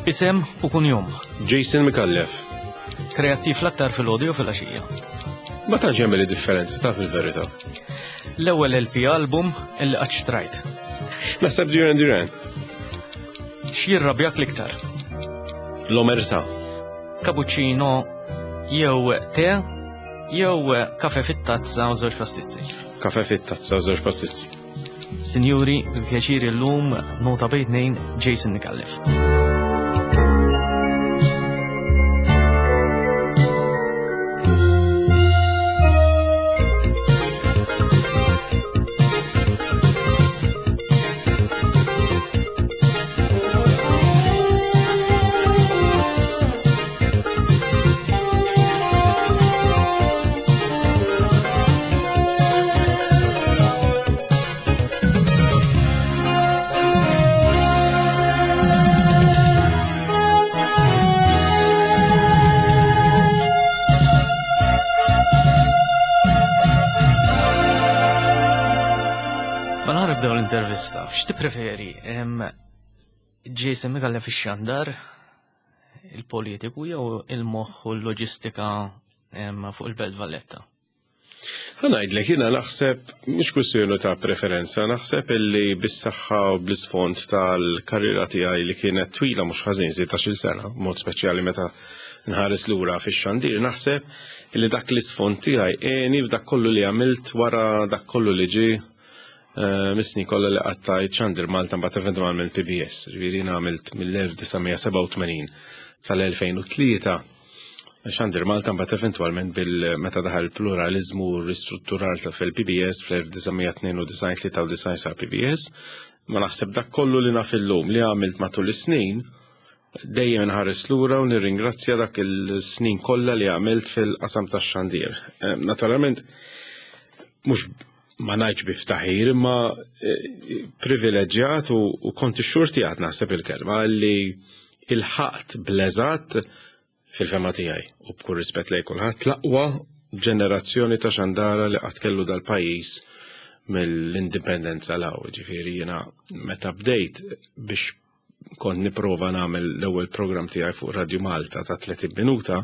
Isem u kunjom. Jason Micallef. Kreattiv l-aktar fil-ħodu jew fil-għaxija? Ma tantx jagħmel differenza ta' fil-verità. L-ewwel LP album illi qatt xtrajt. Naħseb Duran Duran. X'jirrabjak l-iktar? L-omerta. Cappuccino jew te jew kafe fit-tazza u żewġ pastizzi. Kafe fit-tazza u żewġ pastizzi. Sinjuri, bi pjaċir illum nota bejn tnejn Jason Micallef. Mela nibdew l-intervista. X'tippreferi? Jason Micallef ix-xandar, il-politiku jew il-moħħ u l-loġistika fuq il-Belt Valletta? Ħanajdlek, jiena naħseb, mhux kwistjoni ta' preferenza, naħseb illi bis-saħħa u bl-isfond tal-karriera tiegħi li kienet twila mhux ħażin 16-il sena, mod speċjali meta nħares lura fix-xandir, naħseb illi dak l-isfond tiegħi għeni f'dak kollu li għamilt wara dak kollu li ġie eh, mis-snin kollha li qattajt xandir Malta mbagħad eventwalment PBS. Ġifieri jiena għamilt mill-1987 sal-2003 Xandir Malta mbagħad eventwalment bil meta daħal il-pluraliżmu u r-ristrutturar ta' fil-PBS fl-1992-93 sar PBS, ma naħseb dak kollu li naf illum li għamilt matul is-snin dejjem inħares lura u nirringrazzja dak il-snin kollha li għamilt fil-qasam tax-xandir. Eh, naturalment mhux ma ngħidx bi ftaħir imma eh, privileġġjat u kont ixxurtjat naħseb il-kelma li ilħaqt bl-eżatt fil-fehma tiegħi u b'kull rispett lejn kulħadd l-aqwa ġenerazzjoni ta' xandara li qatt kellu dal-pajjiż mill-indipendenza 'l hawn. Ġifieri jiena meta bdejt biex kont nipprova nagħmel l-ewwel programm tiegħi fuq Radju Malta ta' 30 minuta,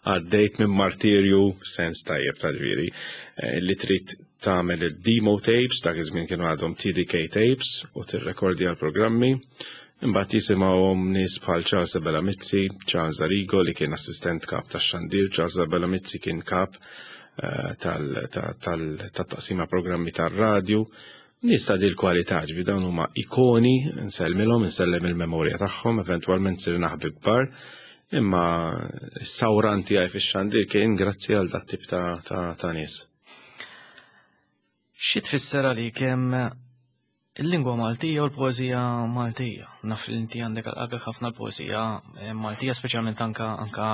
għaddejt minn martirju sens tajjeb ta' ġifieri eh, li trid tagħmel id-demo tapes, dak iż-żmien kienu għadhom TDK tapes u tirrekordja l-programmi. Imbagħad jisimgħuhom nies bħal Charles Abela Mizzi, Charles Arrigo li kien assistent kap tax-xandir, Charles Abela Mizzi kien kap eh, tal-taqsima programmi tar-radju. Nies ta' dil kwalità, ġifieri dawn huma ikoni, nsellmilhom, insellem il-memorja tagħhom, eventwalment sirna ħbieb kbar, imma s-sawran tiegħi fix-xandir kien grazzi għal dat tip ta' nies. Xi tfisser għalik hemm il-lingwa Maltija u l-poeżija Maltija? Naf li inti għandek għal qalbek ħafna l-poeżija eh, Maltija, speċjalment anka anka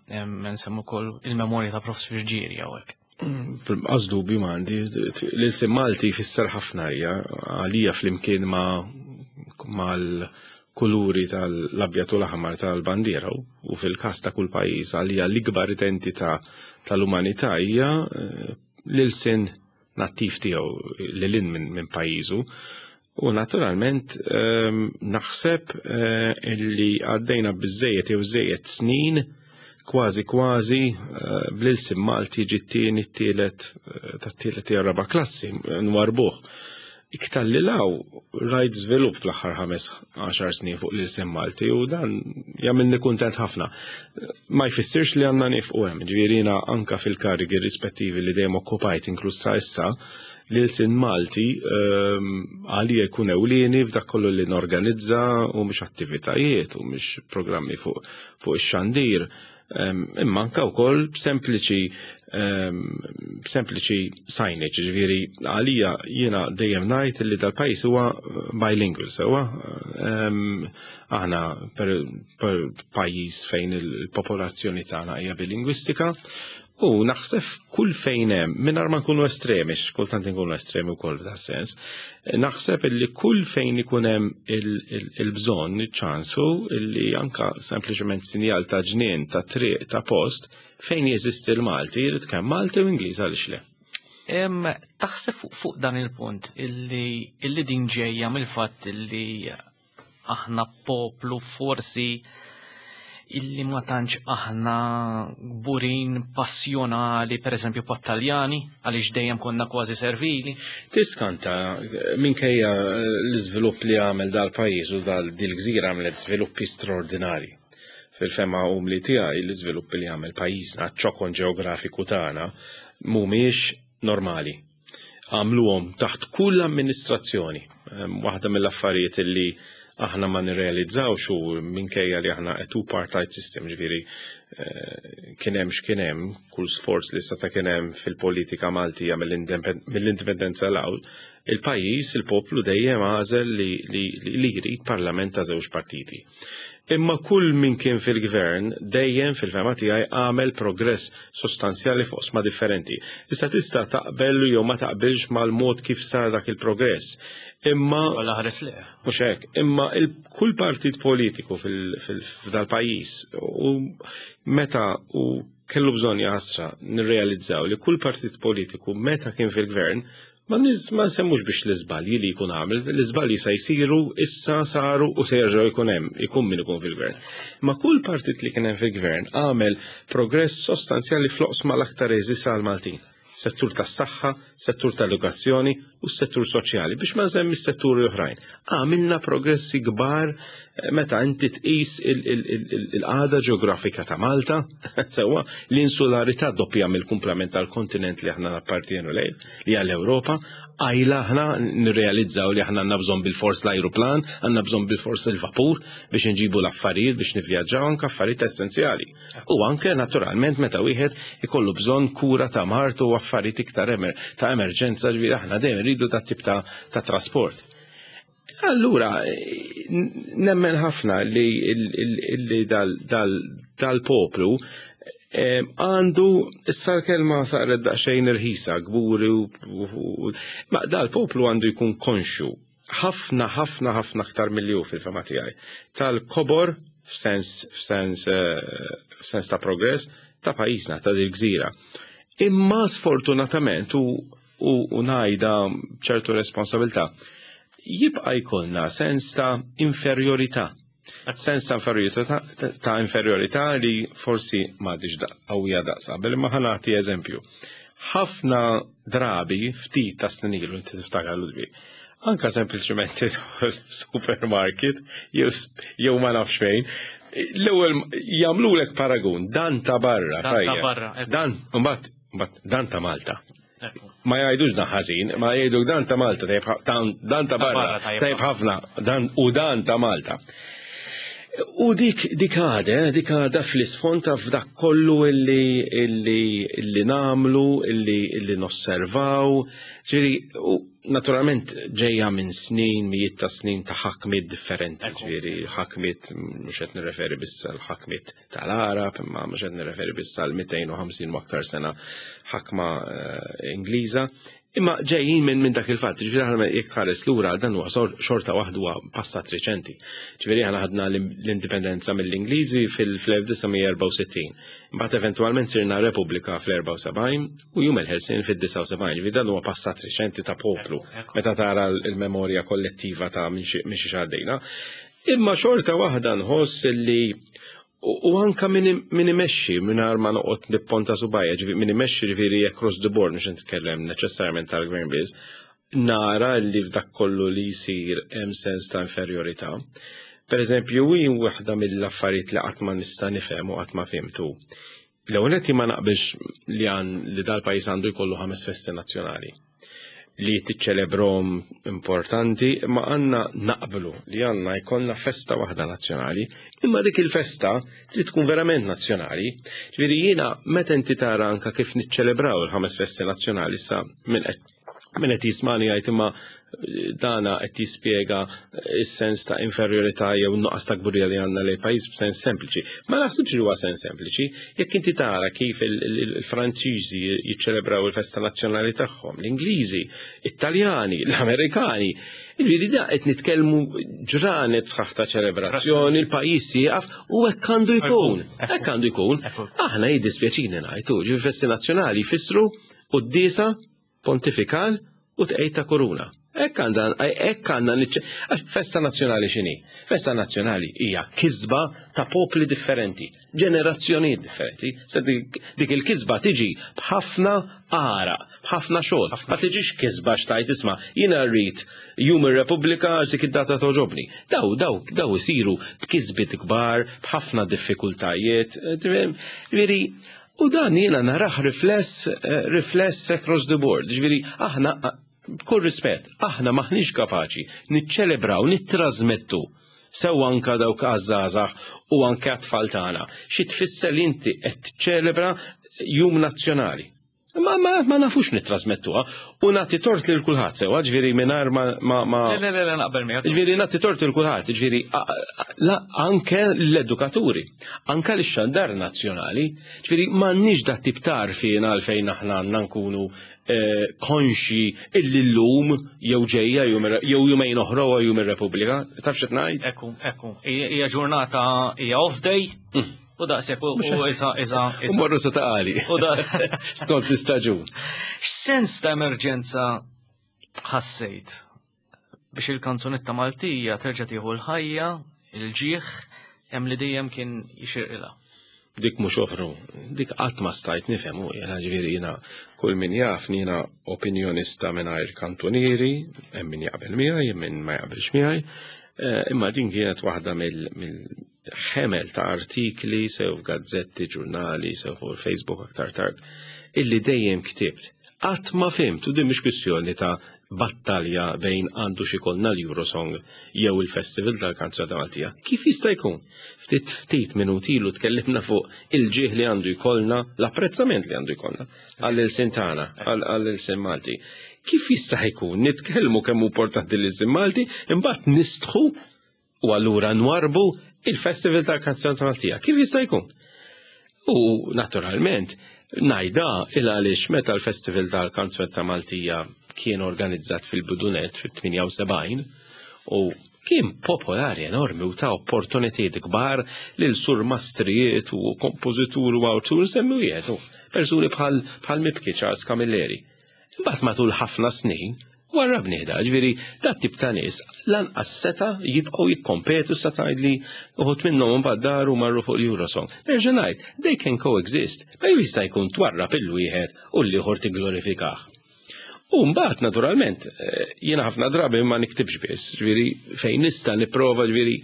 eh, nsemmu wkoll il-memorja ta' Prof. Virġiri hawnhekk. Għaz dubju ma għandi, l-insim Malti jfisser ħafna hija għalija flimkien ma' mal-kuluri tal-abjad u l-aħmar tal-bandiera u fil-każ ta' kull pajjiż għalija l-ikbar identità tal-umanità hija eh, l-ilsien nattiv tiegħu lil hinn minn pajjiżu. U naturalment ehm, naħseb eh, illi għaddejna biżejjed jew żejjed snin kważi kważi eh, bl-ilsien Malti ġi t-tieni t-tielet eh, tat-tielet jew raba' klassi nwarbuh. Iktar li law rajt żvilupp fl-aħħar 15 snin fuq l-ilsien Malti u dan jagħmilni kuntent ħafna. Ma jfissirx li għandna nifqu hemm, ġifieri jiena anka fil-karigi rispettivi li dejjem okkupajt inkluż sa issa, l-ilsien Malti ehm, għalija jkun ewlieni f'dak kollu li norganizza u mhux attivitajiet u mhux programmi fuq fuq ix-xandir. Imma anka wkoll b'sempliċi b'sempliċi signage, ġifieri għalija jiena dejjem ngħid li dal-pajjiż huwa bilingual sewwa. Aħna per pajjiż fejn il-popolazzjoni tagħna hija bilingwistika u naħseb kull fejn hemm, mingħajr ma nkunu estremi, kultant nkunu estremi wkoll f'dan sens, naħseb illi kull fejn ikun hemm il-bżonn, iċ-ċansu illi anka sempliċement sinjal ta' ġnien, ta' triq, ta' post, fejn jeżisti l-Malti, jrid kemm Malti u Ingliż għaliex le. Taħseb fuq dan il-punt illi, illi din ġejja mill-fatt illi aħna poplu forsi illi ma tantx aħna kburin passjonali pereżempju pat-Taljani għaliex dejjem konna kważi servili. Tiskanta minkejja l-iżvilupp li għamel dal-pajjiż u dal-gżira għamlet żviluppi straordinari. Fil-fema umli tiegħi l-iżviluppi li għamel pajjiżna, ċokon ġeografiku tagħna mhumiex normali. Għamluhom taħt kull amministrazzjoni. Waħda mill-affarijiet li aħna ma nirrealizzawx u minkejja li aħna a two-party system, ġifieri kien hemm x'kien hemm, kull sforz li seta' kien hemm fil-politika Maltija mill-indipendenza 'l hawn, il-pajjiż, il-poplu dejjem għażel li jrid parlament ta' żewġ partiti. Imma kull min kien fil-gvern dejjem fil-fema tiegħi għamel progress sostanzjali fuq oqsma differenti. Issa tista' taqbel jew ma taqbilx mal-mod kif sar dak il-progress. Imma Wala ħares le. Mhux hekk, imma kull partit politiku f'dal-pajjiż u meta u kellu bżonn jaħasra nirrealizzaw li kull partit politiku meta kien fil-gvern ma nsemmux biex l-iżbalji li jkun għamel, l-iżbalji se jsiru, issa saru u se jerġgħu jkun hemm, ikun min ikun fil-gvern. Ma kull partit li kien hemm fil-gvern għamel progress sostanzjali fl-oqsma l-aktar għeżież għall-Maltin. Settur tas-saħħa, settur tal-edukazzjoni u s-settur soċjali biex ma nsemmi s-setturi oħrajn. Għamilna progressi kbar meta inti tqis il-qagħda ġeografika ta' Malta, sewwa l-insularità doppja mill-kumplament tal-kontinent li aħna nappartienu lejn, li għall Ewropa, għajla aħna nirrealizzaw li aħna għandna bżonn bil-fors l-ajruplan, għandna bżonn bil-fors il-vapur biex nġibu l-affarijiet biex nivvjaġġaw anke affarijiet essenzjali. U anke naturalment meta wieħed ikollu bżonn kura ta' mart u affarijiet iktar ta' emerġenza, ġifieri aħna dejjem rridu dat tip ta' trasport. Allura, nemmen ħafna li dal-poplu għandu, issa l-kelma saret daqsxejn irħisa, kburi u ma dal-poplu għandu jkun konxju ħafna, ħafna, ħafna aktar milli hu fil-fema tiegħi tal-kobor f'sens ta' progress ta' pajjiżna, ta' dil-gżira. Imma sfortunatament u ngħidha ċertu responsabilità, jibqa' jkollna sens ta' inferjorità. Sens ta' inferjorità, ta' inferjorità li forsi m'għadix qawwija daqs qabel, imma ħa nagħti eżempju. Ħafna drabi, ftit ta' snin ilu, inti tiftakar Ludwig, anka sempliċement tidħol supermarket jew ma nafx fejn, l-ewwel jagħmlulek paragun, dan ta' barra, Dan ta' tajjeb. barra, ekku. Dan, mbagħad dan ta' Malta. Ekku. Ma jgħidux dan ħażin, ma jgħidu dan ta' Malta, tajjeb dan ta' Ta' barra, barra, tajjeb tajjeb ħafna, dan u dan ta' Malta. U dik għada, dik għada fl-isfond ta' f'dak kollu illi namlu, illi nosservaw. Ġifieri, u naturalment ġejja minn snin, mijiet ta' snin ta' ħakmiet differenti, ġifieri ħakmiet, mhux qed nirreferi biss għal ħakmiet tal-Arab, imma mhux qed nirreferi biss għal 250 u aktar sena ħakma Ingliża. Imma ġejjin minn dak il-fatt, ġifieri aħna jekk tħares lura dan huwa xorta waħdu huwa passat reċenti. Ġifieri aħna ħadna l-indipendenza mill-Ingliżi fil-1964. Imbagħad eventwalment sirna Repubblika fl-74 u jum il-ħelsien fid-79. Ġifieri dan huwa passat reċenti ta' poplu, meta tara l-memorja kollettiva ta' minn xi għaddejna. Imma xorta waħda nħoss li u anka min imexxi mingħajr ma noqgħod nipponta subajja, ġifieri min imexxi ġifieri across the board, mhux nitkellem neċessarjament tal-gvern biss, nara li f'dak kollu li jsir hemm sens ta' inferjorità. Per eżempju, hi waħda mill-affarijiet li qatt ma nista' nifhem u qatt ma fhimtu. L-ewwel nett ma naqbilx li għan li dal-pajjiż għandu jkollu 5 festi nazzjonali li tiċċelebrom importanti, ma għandna naqblu li għandna jkollna festa waħda nazzjonali, imma dik il-festa trid tkun verament nazzjonali. Ġifieri jiena meta inti tara anka kif niċċelebraw il-5 festi nazzjonali sa minn qed jismani jgħid imma dana qed jispjega is-sens ta' inferjorità jew nuqqas ta' kburija li għandna lejn pajjiż b'sens sempliċi. Ma naħsibx li huwa sens sempliċi, jekk inti tara kif il-Franċiżi jiċċelebraw il-festa nazzjonali tagħhom, l-Ingliżi, it-Taljani, l-Amerikani, ġifieri da qed nitkellmu ġranet sħaħ ta' ċelebrazzjoni, il-pajjiż jieqaf u hekk għandu jkun. Hekk għandu jkun. Aħna jiddispjaċini ngħidu, ġifieri festi nazzjonali jfissru quddiesa, pontifikal u tqejt ta' koruna. Hekk għandha hekk għandna festa nazzjonali x'inhi? Festa nazzjonali hija kisba ta' popli differenti, ġenerazzjonijiet differenti. Se dik il-kisba tiġi b'ħafna għaraq, b'ħafna xogħol. Ma tiġix kisba xtajt isma' jiena rrid Jum ir-Repubblika għax dik id-data toġobni. Daw daw daw isiru b'kisbiet kbar, b'ħafna diffikultajiet. Ġifieri, u dan jiena narah rifless eh, rifless across the board. Ġifieri aħna b'kull rispett, aħna maħniex kapaċi niċċelebraw, nittrażmettu sew anka dawk għaż-żgħażagħ u anke għat-tfal tagħna. Xi tfisser li inti qed tiċċelebra jum nazzjonali. Ma, ma, ma nafux nittrasmettuha u nagħti tort lil kulħadd sewwa, ġifieri mingħajr ma ma ma Le, le, le, naqbel miegħek. Ġifieri nagħti tort lil kulħadd, ġifieri anke l-edukaturi, anke l-xandar nazzjonali, ġifieri m'għandniex dat tip ta' għarfien għalfejn aħna għandna nkunu eh, konxi illi llum jew ġejja jew jumejn oħra u jum ir-Repubblika. Taf x'qed ngħid? Ekku, ekku. Hija ġurnata hija off day. Mm. U daqshekk u iża iża. U morru sa taqali. U da. Skont l-istaġun. X'sens ta' emerġenza ħassejt biex il-kanzunetta Maltija terġa' tieħu l-ħajja, il-ġieħ, hemm li dejjem kien jixirqilha. Dik mhux oħru, dik qatt ma stajt nifhem u jiena ġifieri jiena kull min jaf jiena opinjonista mingħajr kantunieri, hemm min jaqbel miegħi, hemm min ma jaqbilx miegħi, eh, imma din kienet waħda mill ħemel ta' artikli sew f'gazzetti, ġurnali, sew fuq il-Facebook aktar tard, illi dejjem ktibt. Qatt ma fhimt, u din mhix kwistjoni ta' battalja bejn għandu xi jkollna l-Eurosong jew il-Festival tal-Kanzunetta Maltija. Kif jista' jkun? Ftit ftit minuti ilu tkellimna fuq il-ġieħ li għandu jkollna, l-apprezzament li għandu jkollna għall-ilsien tagħna, għall-ilsien Malti. Kif jista' jkun nitkellmu kemm hu importanti l-ilsien Malti, imbagħad nistħu U allura nwarbu il-Festival tal-Kanzunetta Maltija. Kif jista' jkun? U naturalment, ngħidha il għaliex meta l-Festival tal-Kanzunetta Maltija kien organizzat fil-Bidunet fit-78 u kien popolari enormi u ta' opportunitajiet kbar lil surmastrijiet u kompożituri u awtur semmi wieħed persuni bħal bħal mibki Charles Camilleri. Imbagħad matul ħafna snin warrabnih da, ġifieri dat tip ta' nies lanqas seta' jibqgħu jikkompetu sa tgħidli uħud minnhom imbagħad daru marru fuq l-Eurosong. Nerġa' ngħid, they can coexist, ma jista' jkun twarrab il-wieħed u l-ieħor tigglorifikah. U mbagħad naturalment eh, jiena ħafna drabi ma niktibx biss, ġifieri fejn nista' nipprova ġifieri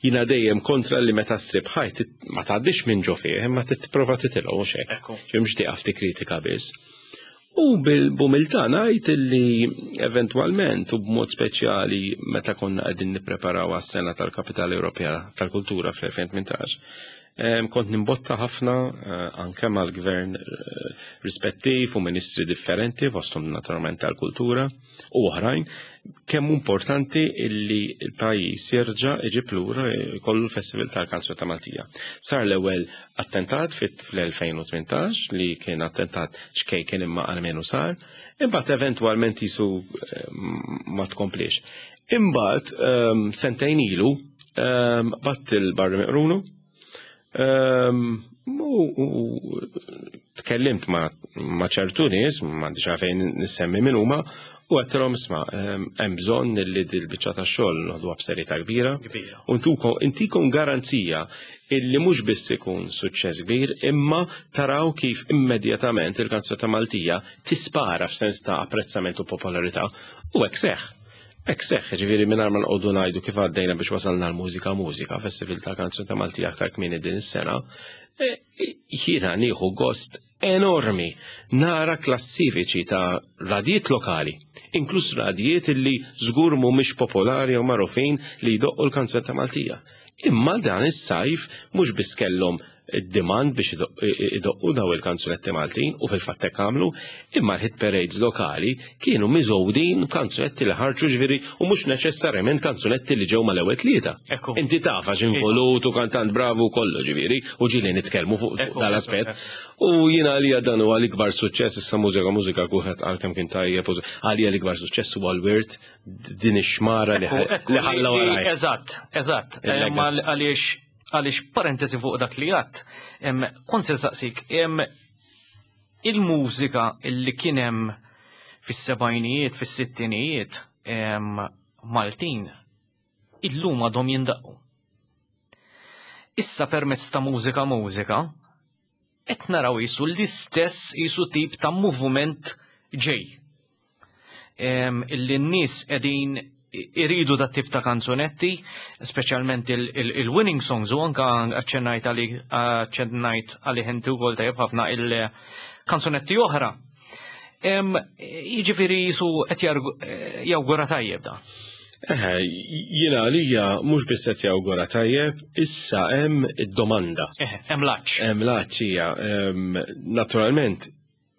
jiena dejjem kontra li meta ssib ħajt ma tgħaddix minn ġo fih, imma tipprova titilgħu mhux hekk. Mhux tieqaf tikkritika biss. U bil-bumiltà ngħid li eventwalment u b'mod speċjali meta konna qegħdin nippreparaw għas-sena tal-Kapitali Ewropea tal-Kultura fl-2018, kont nimbotta ħafna eh, anke mal-gvern eh, rispettiv u ministri differenti fosthom naturalment tal-kultura u oħrajn kemm importanti illi l-pajjiż jerġa' iġib lura jkollu l-Festival tal-Kanzunetta Maltija. Sar l-ewwel attentat fl-2018 li kien attentat ċkejken imma almenu sar, imbagħad eventwalment jisu eh, ma tkomplix. Imbagħad ehm, sentejn ilu ehm, batt il-Barri Meqrunu ehm, u tkellimt ma' ċertu nies, m'għandix għalfejn nissemmi min huma, u għedtilhom isma' hemm bżonn li dil-biċċa tax-xogħol noħduha b'serjetà kbira. U intikom garanzija illi mhux biss ikun suċċess kbir, imma taraw kif immedjatament il-kanzunetta Maltija tispara f'sens ta' apprezzament u popolarità u hekk seħħ. Hekk seħħ, ġifieri mingħajr ma nqogħdu ngħidu kif għaddejna biex wasalna l-mużika mużika, festival tal-kanzunetta Maltija aktar kmieni din is-sena, e, jiena nieħu gost enormi nara klassifiċi ta' radijiet lokali, inkluż radijiet illi żgur mhumiex popolari jew magħrufin li jdoqqu l-kanzunetta Maltija. Imma dan is-sajf mhux biss kellhom id-demand biex idoqqu daw il-kanzunetti Maltin u fil-fatt hekk għamlu, imma l-hit parades lokali kienu miżgħudin kanzunetti li ħarġu ġifieri u mhux neċessarjament kanzunetti li ġew mal-ewwel tlieta. Inti taf għax involut u kantant bravu kollu ġifieri u ġieli nitkellmu fuq dal-aspett. U jiena għalija dan huwa l-ikbar suċċess issa mużika mużika kulħadd qal kemm kien tajjeb għalija l-ikbar suċċess huwa l-wirt din ix-xmara li ħalla waraj. Eżatt, eżatt. Għaliex għaliex parentesi fuq dak li għadt, kont se nsaqsik, il-mużika illi kien hemm fis-sebgħinijiet, fis-sittinijiet. Maltin illum għadhom jindaqqu. Issa permezz ta' Mużika Mużika qed naraw qisu l-istess qisu tip ta' moviment ġej. Illi n-nies qegħdin iridu dat tip ta' kanzunetti, speċjalment il-winning songs u anka aċċennajt għalik aċċennajt għalih inti wkoll tajjeb ħafna il-kanzunetti oħra. Jiġifieri jisu qed jawgura tajjeb da. Eħe, jiena għalija mhux biss qed jawgura tajjeb, issa hemm id-domanda. Eħe, hemm l-għatx. Hemm l-għatx hija. Naturalment,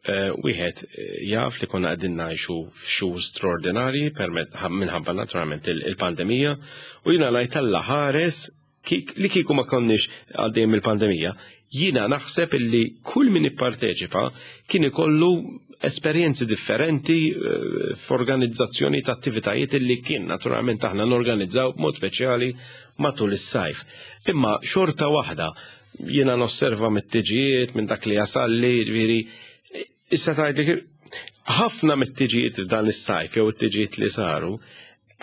wieħed jaf li konna qegħdin ngħixu f'xhur straordinarji minħabba naturalment il-pandemija u jiena ngħid Alla ħares li kieku ma konniex għaddejjem il-pandemija, jiena naħseb illi kull min ipparteċipa kien ikollu esperjenzi differenti f'organizzazzjoni ta' attivitajiet illi kien naturalment aħna norganizzaw b'mod speċjali matul is-sajf. Imma xorta waħda jiena nosserva mit-tiġijiet minn dak li jasalli, ġifieri issa tgħidli ħafna mit-tiġijiet f'dan is-sajf jew it-tiġijiet li saru,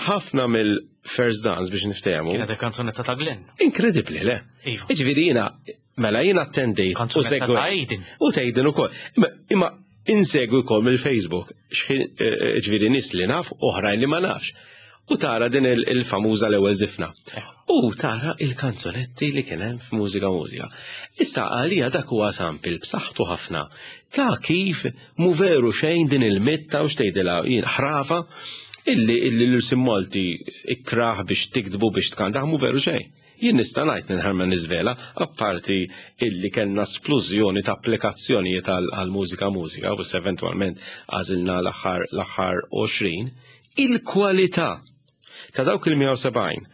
ħafna mill-first dance biex niftehmu. Kienet il-kanzunetta ta' Glenn. Inkredibbli, le? Iva. Jiġifieri jiena mela jiena attendejt u Kanzunetta ta' segwejt. Aiden. U tgħidin ukoll. Imma insegwi wkoll mill-Facebook, ġifieri nies li naf, oħrajn li ma nafx. U tara din il-famuża l-ewwel żifna. U tara il-kanzunetti li kien hemm f'Mużika Mużika. Issa għalija dak huwa sample b'saħħtu ħafna ta' kif mu veru xejn din il-mitta u x'tgħidilha jien ħrafa illi illi l-ilsien Malti ikrah biex tiktbu biex tkantah mu veru xejn. Jien nista' ngħid mingħajr ma niżvela, apparti illi kellna splużjoni ta' applikazzjonijiet għal Mużika Mużika u issa eventwalment għażilna l-aħħar l-aħħar 20, il-kwalità ta' dawk il-170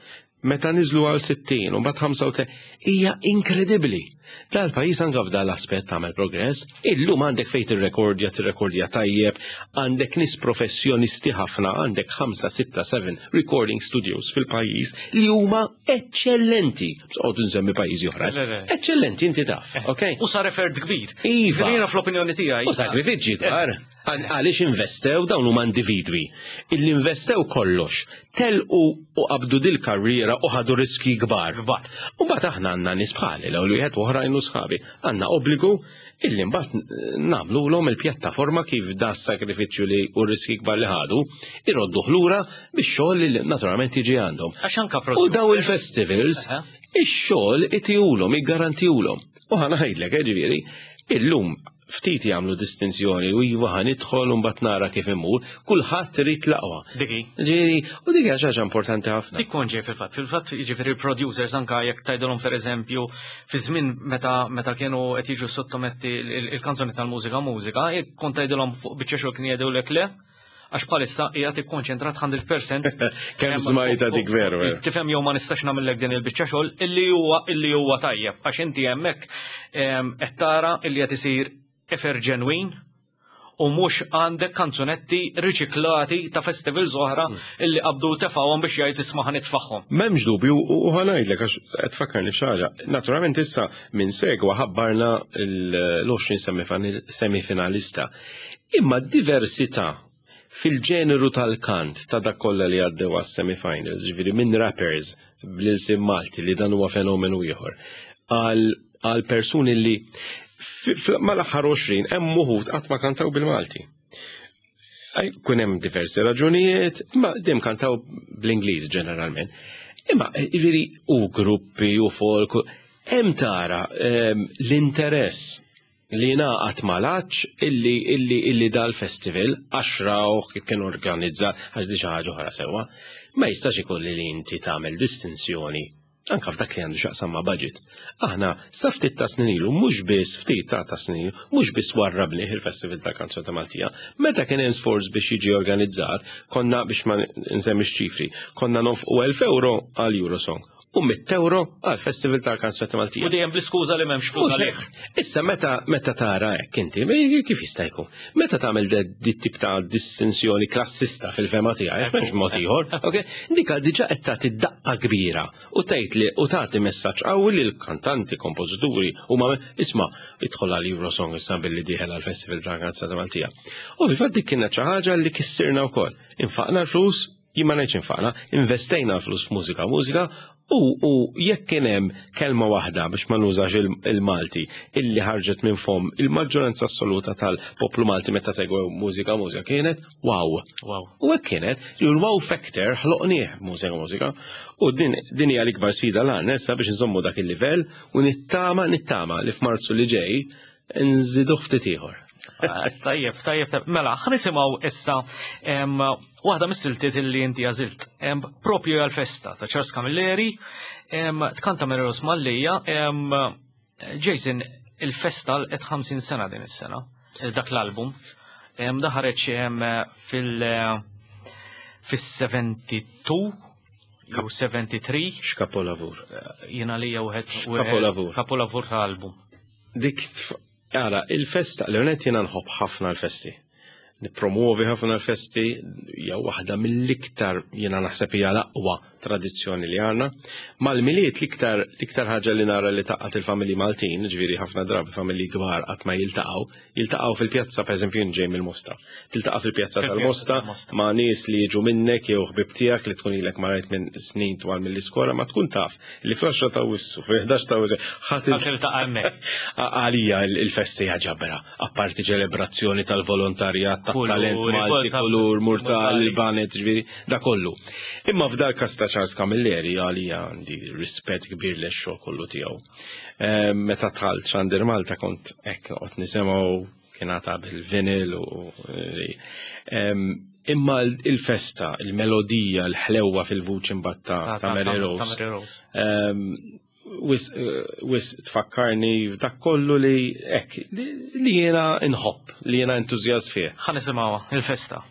meta niżlu għal 60 u mbagħad 35 hija inkredibbli. Dal-pajjiż anke f'dan l-aspett għamel progress. Illum għandek fejn tirrekordja, tirrekordja tajjeb, għandek nies professjonisti ħafna, għandek 5, 6, 7 recording studios fil-pajjiż li huma eċċellenti. Sqgħod nsemmi pajjiżi oħra. Eċċellenti inti taf, ok? U sar effort kbir. Iva. Jiena fl-opinjoni tiegħi. U sagrifiċċji kbar. Għaliex investew dawn huma individwi illi investew kollox, telqu u qabdu dil-karriera u ħadu riski kbar. Kbar. U mbagħad aħna għandna nies bħali l-ewwel wieħed u oħrajn u sħabi. Għandna obbligu illi mbagħad nagħmlulhom il-pjattaforma kif da s-sagrifiċċju li u riski kbar li ħadu irodduh lura bix-xogħol li naturalment jiġi għandhom. Għax anka U daw il-festivals, ix-xogħol itihulhom, iggarantihulhom. U ħa ngħidlek, ġifieri, illum ftit jagħmlu distinzjoni u iva ħa nidħol u mbagħad nara kif immur, kulħadd irid l-aqwa. Diki. Ġifieri, u dik hija xi ħaġa importanti ħafna. Dik kont ġej fil-fatt, fil-fatt jiġifieri il-producers anka jekk tgħidilhom pereżempju fi żmien meta meta kienu qed jiġu sottometti il-kanzoni tal-mużika mużika, jekk kont tgħidilhom fuq biċċa xogħol kien jgħidulek le, għax bħalissa qiegħed ikkonċentrat 100%. Kemm smajta dik veru. Eh. Tifhem jew ma nistax nagħmellek din il-biċċa xogħol illi huwa illi huwa tajjeb għax inti hemmhekk qed tara illi qed isir effort ġenwin u mhux għandek kanzunetti riċiklati ta' festivals oħra hmm. illi qabdu tefgħuhom biex jgħid isma' ħanitfaħħom. M'hemmx dubju u ħanajdlek għax qed tfakkarni xi ħaġa. Naturalment issa minn segwa ħabbarna l-20 semifinalista. Imma d-diversità fil-ġeneru tal-kant ta' dak kollha li għaddew għas-semifinals, ġifieri minn rappers bl-ilsien Malti li dan huwa fenomenu ieħor, għal persuni li mal-aħħar 20 hemm uħud qatt ma kantaw bil-Malti. Kun hemm diversi raġunijiet, imma dejjem kantaw bl-Ingliż ġeneralment. Imma ġifieri u gruppi u folk, hemm tara ehm, l-interess li ngħaqad mal-għatx illi illi illi dal-festival għax rawh kif kien organizzat għax di xi ħaġa oħra sewwa, ma jistax ikun li inti tagħmel distinzjoni anka f'dak li għandu x'jaqsam ma' budget. Aħna sa ftit ta' snin ilu mhux biss ftit ta' ta' snin ilu mhux biss warrabnih il-Festival tal-Kanzunetta Maltija, meta kien hemm sforz biex jiġi organizzat, konna biex ma nsemmix ċifri, konna nonfqu 1000 euro għal Eurosong u mitt euro għal Festival tal-Kanzunetta Maltija. U dejjem bl-iskuża li m'hemmx flus għalih. Issa meta meta tara hekk inti, kif jista' jkun? Meta tagħmel dit tip ta' distinzjoni klassista fil-fema tiegħi, m'hemmx mod ieħor, ok? Dika diġà qed tagħti daqqa kbira u tgħid li u tagħti messaġġ qawwi lil kantanti, kompożituri u ma isma' idħol għal Eurosong issa billi dieħel għal Festival tal-Kanzunetta Maltija. U fil-fatt dik kienet xi ħaġa li kissirna wkoll. Infaqna l-flus. Jien ma ngħidx infaqna, investejna l-flus f'mużika mużika u, u jekk kien hemm kelma waħda biex ma nużax il-Malti illi ħarġet minn fomm il-maġġoranza assoluta tal-poplu Malti meta segwew mużika mużika kienet wow. Wow. U hekk kienet li l-wow factor ħloqnieh mużika mużika u din din hija l-ikbar sfida l għandna issa biex nżommu dak il-livell u nittama nittama li f'Marzu li ġej nżidu ftit ieħor. Ah, tajjeb, tajjeb, tajjeb. Mela, ħanisimgħu issa waħda mis-siltiet illi inti għażilt. Propju għal-festa ta' Charles Camilleri, tkanta Mary Rose Mallia, Jason, il-festa qed 50 sena din is-sena, dak l-album. Da ħareġ fil- fis-72 jew 73. X'kapolavur. Jiena li wieħed X'kapolavur. Kapolavur ta' album. Dik Ara, il-festa, l-għonet jena nħobb ħafna l-festi. Nipromuovi ħafna l-festi, hija waħda mill-iktar jena naħseb hija l-aqwa tradizzjoni li għandna. Mal-Milied l-iktar l-iktar ħaġa li nara li taqqat il-familji Maltin, ġifieri ħafna drabi familji kbar qatt ma jiltaqgħu, jiltaqgħu fil-pjazza pereżempju jien ġej mill-Mosta. Tiltaqa' fil-pjazza tal-Mosta ma' nies li jiġu minnek jew ħbieb tiegħek li tkun ilek ma rajt minn snin twal mill-iskola ma tkun taf li fl-10 ta' Awwissu, fil-11 ta' Awwissu, ħadd tiltaqa' hemmhekk. Għalija il-festa hija ġabra, apparti ċelebrazzjoni tal-volontarjat, tat-talent Malti, kulur, murtal, il-banet, ġifieri, da kollu. Imma f'dal każ ta' Charles Camilleri għalija għandi rispett kbir lejn xogħol kollu tiegħu. Ehm, meta dħalt Xandir Malta kont hekk noqgħod nisimgħu kien għata bil-vinyl u ehm, imma il-festa, il-melodija, l-ħlewwa fil-vuċi mbagħad ta' Mary Rose. Ehm, wis wis tfakkarni dak kollu li hekk li jiena nħobb, li jiena entużjast fih. Ħa nisimgħuha, il-festa.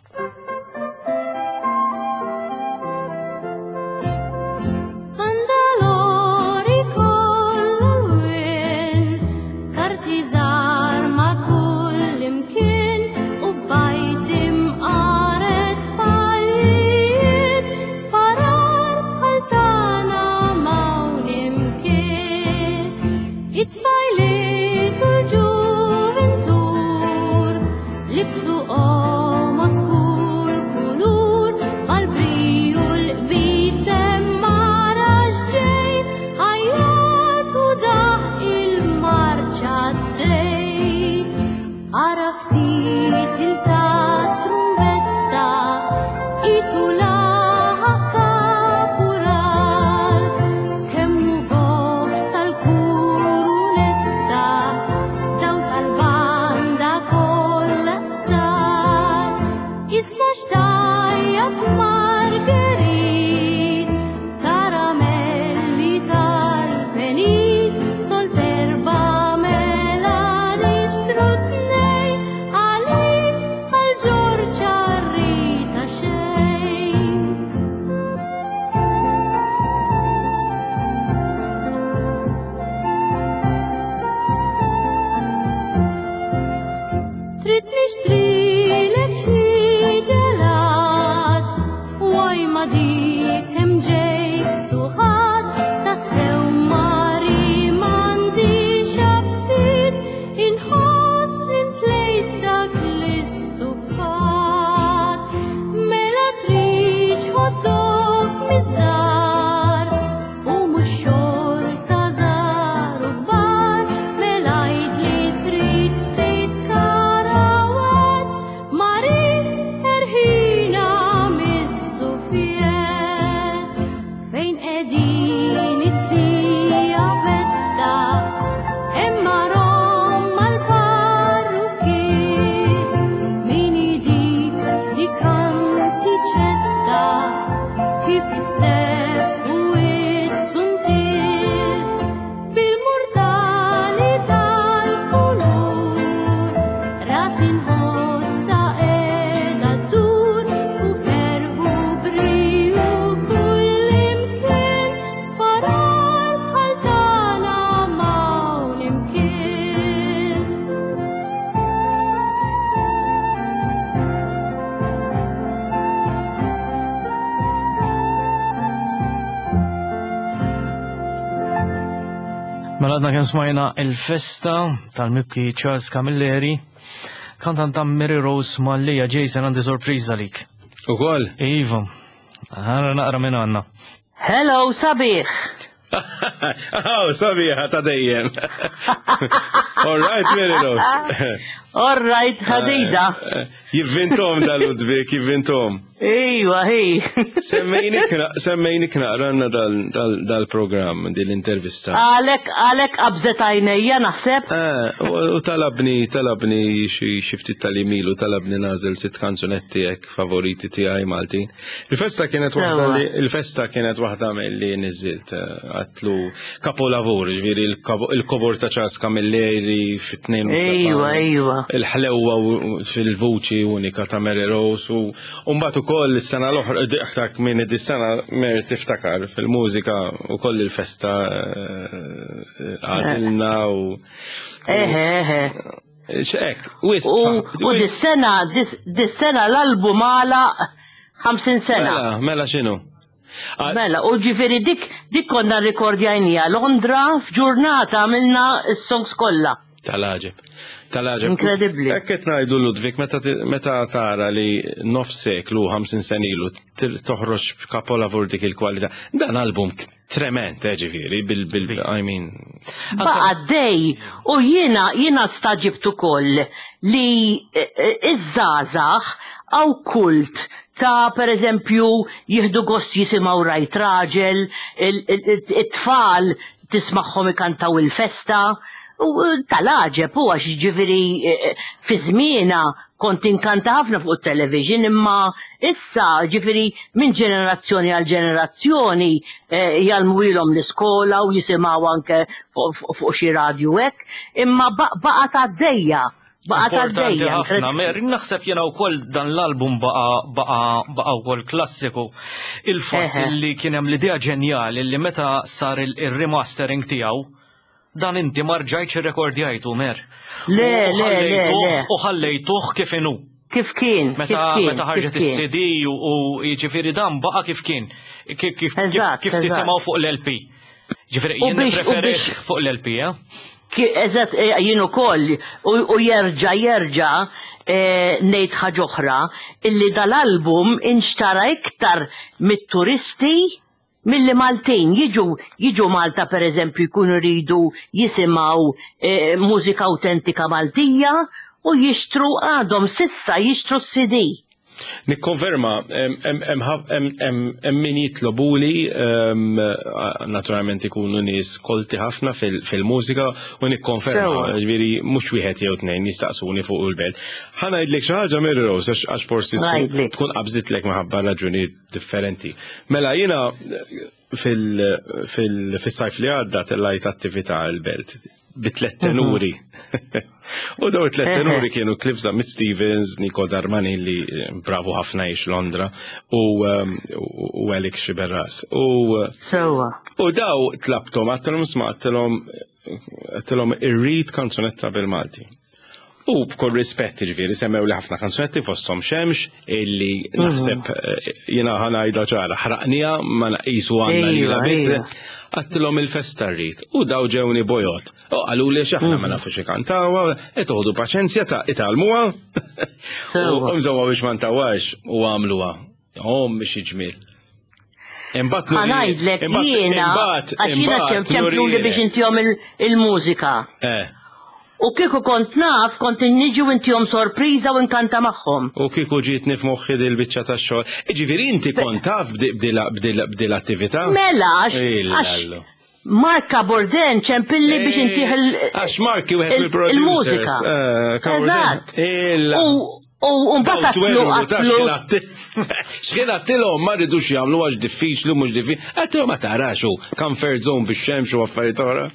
Mela għadna kemm smajna il-festa tal-mibki Charles Camilleri, kantanta Mary Rose Mallia. Jason, għandi sorpriża lik. Ukoll? Iva. Ħa naqra minn għandna. Hello, sabiħ. Oh, sabiħa ta' dejjem. All right, Mary Rose. All right, ħadida. Jivvintom da Ludwig, jivvintom. Iwa, hi. Semmejni knaqranna dal-program, dil-intervista. Għalek, għalek qabżet għajnejja naħseb. Eh, u talabni, talabni xi ftit tal-imilu, talabni nażel sitt kanzunetti hekk favoriti tiegħi Maltin. Il-festa kienet waħda li il-festa kienet waħda milli niżilt eh, għatlu kapolavur, ġifieri il-kobor ta' Charles Camilleri fit-72. Ejwa, ejwa. Il-ħlewwa fil-vuċi unika ta' Mary Rose u mbagħad ukoll is-sena l-oħra aktar minn is-sena Mary tiftakar fil-mużika ukoll il-festa eh, għażilna u Eħe, eħe. Xek, wisq. U dis-sena, dis-sena l-album għala 50 sena. Mela, mela x'inhu? Mela, u ġifieri dik dik konna rrekordjajnija Londra f'ġurnata għamilna s-songs kollha. Tal-għaġeb. Tal-għaġeb. Inkredibbli. Hekk qed ngħidu Ludwig meta meta tara li nofs seklu 50 sena ilu toħroġ kapolavur dik il-kwalità. Dan album Trement, eh, ġifieri, bil, bil, I mean. Baqa dej, u jiena, jiena staġibt ukoll li eh, eh, iż-żgħażagħ għaw kult ta' per eżempju jieħdu gost jisimgħu rajt raġel, it-tfal tismagħhom ikantaw il-festa, u eh, tal-għaġeb u għax ġifieri fi żmiena kont inkanta ħafna fuq it-television imma issa ġifieri minn ġenerazzjoni għal ġenerazzjoni eh, jgħallmuhilhom l-iskola u jisimgħu anke fuq xi radju hekk, imma baqgħet għaddejja. Baqgħet għaddejja. ħafna, Mary, naħseb jiena wkoll dan l-album baqa' baqa' baqa' wkoll klassiku. Il-fatt li kien hemm l-idea ġenjali li meta sar il-remastering tiegħu Dan inti ma rġajtx irrekordjajtu, Mer. Le, le, le, le. U ħallejtuh kif inhu. Kif kien? Meta meta ħarġet is-CD u jiġifieri dan baqa' kif kien. Kif kif tisimgħu fuq l-LP. Ġifieri jien nippreferih fuq l-LP, eh? Eżatt, eh, jien ukoll u jerġa' jerġa' eh, ngħid ħaġa oħra illi dal-album inxtara iktar mit-turisti Milli Maltin jiġu jiġu Malta per eżempju jkunu jridu jisimgħu mużika awtentika Maltija u jixtru għadhom s'issa jixtru s-CD. Nikkonferma, hemm min jitlobuli, naturalment ikunu nies kolti ħafna fil-mużika u nikkonferma, ġifieri mhux wieħed jew tnejn jistaqsuni fuq il-belt. Ħa ngħidlek xi ħaġa Mary Rose għax forsi tkun qabżitlek minħabba raġunijiet differenti. Mela jiena fil-sajf li għadda tellajt attività l-belt bi tlet mhm. tenuri. U daw tlet tenuri kienu Cliff Zammit Stevens, Nico Darmani li eh, bravu ħafna jiex Londra u, ehm, u Alex Xiberras. U, u daw tlabtom, għattilhom sma għattilhom għattilhom irrid kanzunetta bil-Malti. U b'kull rispett ġifieri semmew li ħafna kanzunetti fosthom xemx illi mhm. naħseb eh, jiena ħanajda ċara ħraqnija ma naqisu għandna lila biss għattilhom il-festa rrid u daw ġewni bojot. U qalu li x'aħna ma mhm. nafux ikantawha, qed toħdu paċenzja ta' italmuha. U mżewwa biex ma ntawax u għamluha. Om biex iġmiel. Imbagħad Ħanajdlek jiena għax jiena ċempluli biex intihom il-mużika. Eh. U kieku kont naf, kont niġi u intihom sorpriża u nkanta magħhom. U kieku ġietni f'moħħi dil-biċċa tax-xogħol. Jiġifieri inti kont taf b'dil attività? Mela, għax Mark Cabourdin ċempilli biex eh, intih il- Għax Mark wieħed mill-producers. Eh, U mbagħad għatlu għatlu. X'kien għattilhom ma rridux jagħmlu għax diffiċli mhux diffiċli. Għattilhom ma tarax u comfort zone biex xemx u affarijiet oħra.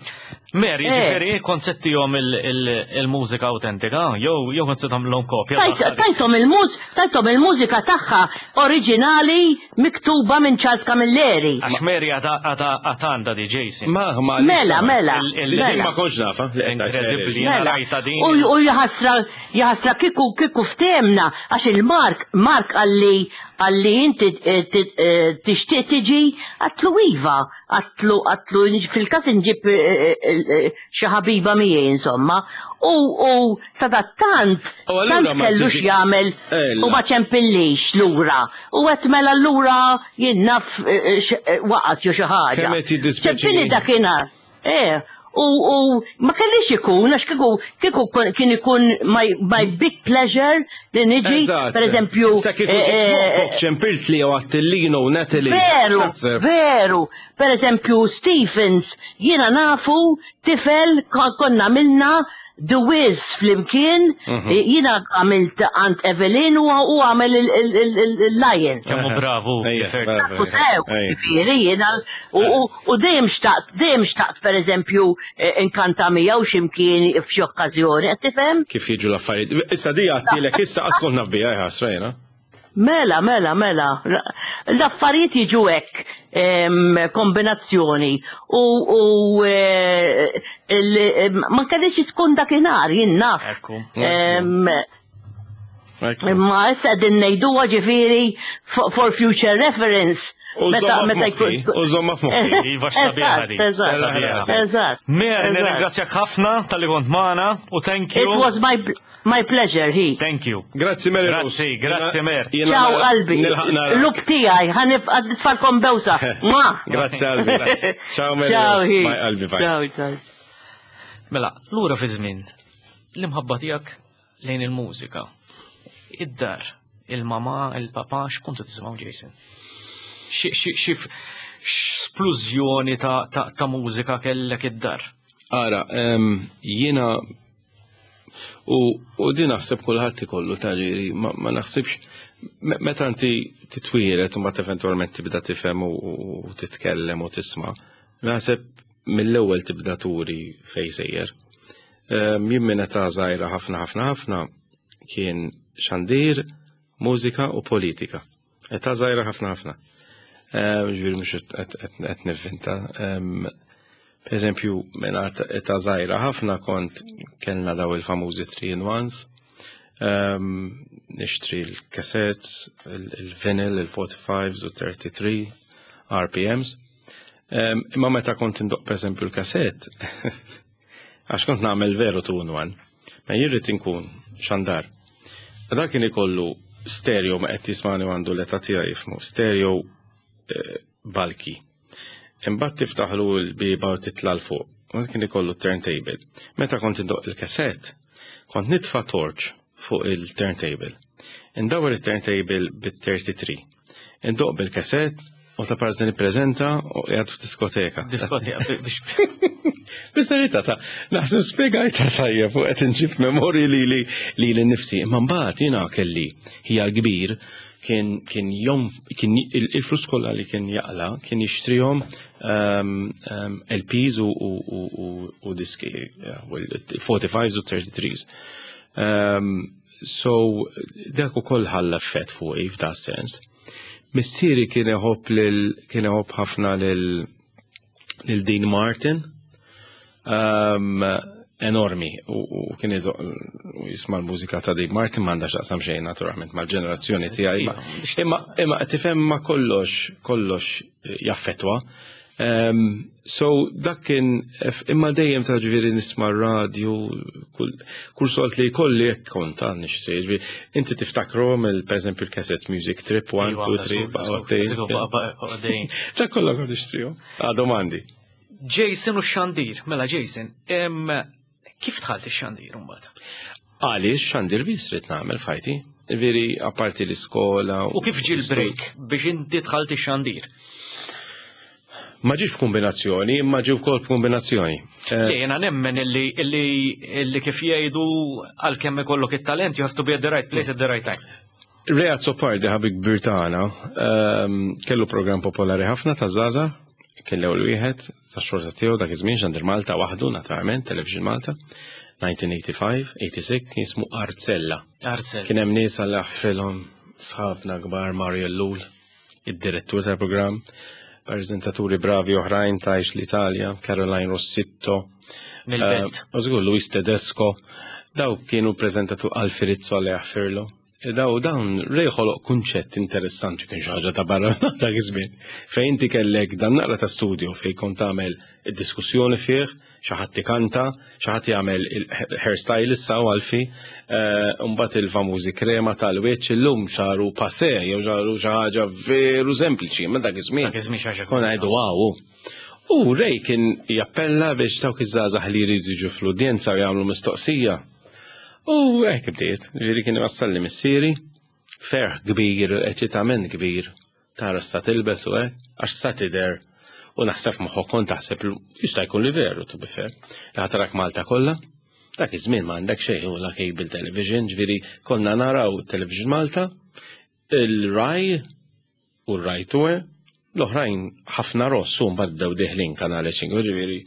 Mary, eh. ġifieri kont se ttihom il-mużika autentika, jew jew kont se tagħmlhom kopja. Tajthom il-muż, tajthom il-mużika tagħha oriġinali miktuba minn Charles Camilleri. Għax Mary għada għandha di Jason. Ma, ma. Mela, mela. Mela. Ma kontx nafa. Inkredibbli, jiena mela. rajta din. U jħasra, jħasra kieku kieku ftehemna għax il-Mark, Mark qalli. Qalli inti eh, eh, tixtieq tiġi għatlu iva, għatlu għatlu fil-każ inġib eh, xi ħabiba miegħi insomma. U u sadattant tant kellu x'jagħmel u ma ċempillix lura. U għedt mela allura jien naf waqgħet jew xi ħaġa. Kemm qed jiddispjaċini. Ċempilli dakinhar. Eh, u, u ma kellix ikun, għax kieku kieku kien ikun my, my big pleasure li niġi, per eżempju. Sa kieku eh, eh, ċempilt li jew Attillino u Natalie. Veru, veru. Per eżempju, Stephens, jiena nafu tifel konna minna The Wiz flimkien, mhm. jiena għamilt Aunt Evelyn u għamel il-Lion. Kemmu bravu. Ġifieri jiena u dejjem xtaqt, dejjem xtaqt pereżempju eh, inkanta miegħu x'imkien f'xi okkażjoni, qed tifhem? Kif jiġu l-affarijiet. Issa di għattilek issa qas kont naf biha ħasra jiena. Mela, mela, mela. L-affarijiet jiġu hekk kombinazzjoni u eh, ma kellix tkun dakinhar jien naf. Imma issa qegħdin ngħiduha ġifieri for future reference. U żomma f'moħħi. Iva x'sabiħa di. Eżatt. Mer, nirringrazzjak ħafna tal-li kont magħna u thank you. It was my My pleasure, hi. Thank you. Grazzi Mary Grazzi, grazzi Mer. Ciao qalbi. Luk tiegħi, ħanibqa' nitfalkom bewsa. Ma. Grazzi qalbi. Ciao Mary Ciao, Bye qalbi, bye. Ciao, ciao. Mela, lura fi żmien, l-imħabba tiegħek lejn il-mużika. Id-dar, il-mama, il-papa, x'kontu tisimgħu Jason? Xi splużjoni ta' mużika kellek id-dar? Ara, jiena U, u din naħseb kulħadd ikollu taġiri, ma, ma naħsibx meta inti titwieled u mbagħad eventwalment tibda tifhem u, u titkellem u tisma', naħseb mill-ewwel tibda turi fejn sejjer. Ehm, jien minn età żgħira ħafna ħafna ħafna kien xandir, mużika u politika. Età żgħira ħafna ħafna. Ehm, ġifieri mhux qed nivvinta. Ehm, per eżempju, minn età żgħira ħafna kont kellna daw il-famużi 3 in 1s. Ehm, nixtri l-cassettes, il-vinyl, il-45s u 33 RPMs. Imma meta kont indoq per eżempju l-kassett, Għax kont nagħmel veru two in one. Ma jien rrid inkun xandar. Dak kien ikollu stereo ma qed jismani għandu l-età tiegħi jifmu, stereo eh, balki. Imbagħad tiftaħlu l-biba u titla' l fuq. U kien ikollu turntable. Meta kont indoq il-kassett, kont nitfa' torch fuq il-turntable. Indawwar il-turntable bit-33. Indoq bil-kassett u ta' parżi nippreżenta u qiegħed f'diskoteka. Diskoteka biex. Bis-serjetà ta' naħseb spjegajta tajjeb u qed inġib memorji li li li li nifsi. Imma mbagħad jiena kelli hija l-kbir kien kien jom kien il-flus kollha li kien jaqla kien jixtrihom ehm, ehm, LPs u, u, u, u, u diski, 45s u 33s. Ehm, so dak ukoll ħalla effett fuqi f'da sens. Missieri kien iħobb lil kien iħobb ħafna lil lil Dean Martin. Um, enormi u, u kien jisma' l-mużika ta' Dean Martin m'għandha x'taqsam xejn naturalment mal-ġenerazzjoni tiegħi. Imma imma tifhem ma kollox kollox jaffetwa. Um, so dak kien imma dejjem ta' ġifieri nisma' r-radju kull, kull solt li jkolli jekk kont għan nixtri. Ġifieri inti tiftakrom il pereżempju l-cassettes Music Trip 1, 2, 3, baqgħu Dak kollha kont nixtrihom. Għadhom għandi. Jason u x-xandir, mela Jason, kif dħalt ix-xandir imbagħad? Għaliex xandir biss rid nagħmel f'ħajti. Veri, apparti l-iskola. U kif ġie l-break biex inti dħalt ix-xandir? Ma ġiex b'kombinazzjoni, imma ġie wkoll b'kombinazzjoni. Eh, Le, jena nemmen illi, illi, illi kif jgħidu għalkemm ikollok it-talent, you have to be at the right place at the right time. Ray Azzopardi ħabib kbir tagħna ehm, kellu programm popolari ħafna ta' Zaza, kien l-ewwel wieħed tax-xorta tiegħu dak iż-żmien Xandir Malta waħdu naturalment, Television Malta, 1985, 86 kien jismu Arzella. Arzella. Kien hemm nies għal aħfrilhom sħabna kbar Mario Ellul, id-direttur tal-programm, preżentaturi bravi oħrajn tajx l-Italja, Caroline Rossitto, Mill-belt. Eh, u żgur Luis Tedesco, daw kienu preżentatur Alfi Rizzo għal jaħfirlu. Daw dawn Ray ħoloq kunċett interessanti kien xi ħaġa ta' barra dak iż-żmien. Fejn inti kellek dan naqra ta' studio fejn kont tagħmel id-diskussjoni fih, xi ħadd ikanta, xi ħadd jagħmel il-hairstyle issa u għalfi, eh, mbagħad il-famużi krema tal-wiċċ illum saru passé jew saru xi ħaġa veru sempliċi, ma dak iż-żmien. Dak iż-żmien xi ħaġa Konna ngħidu wow. U Ray kien jappella biex dawk iż-żgħażagħ li jridu jiġu fl-udjenza u jagħmlu mistoqsija. U hekk bdiet, ġifieri kien iwassalli missieri, ferħ kbir, eċitament kbir, tara sa tilbes u hekk, għax sa tidher u naħseb moħħok kont taħseb jista' jkun li veru to be fair. Li ħatarak Malta kollha, dak iż-żmien ma għandek xejn u la cable television, ġifieri konna naraw Television Malta, il-Rai u r-Rai Tue, l-oħrajn ħafna ross u mbagħad bdew deħlin kanali ċingu, ġifieri.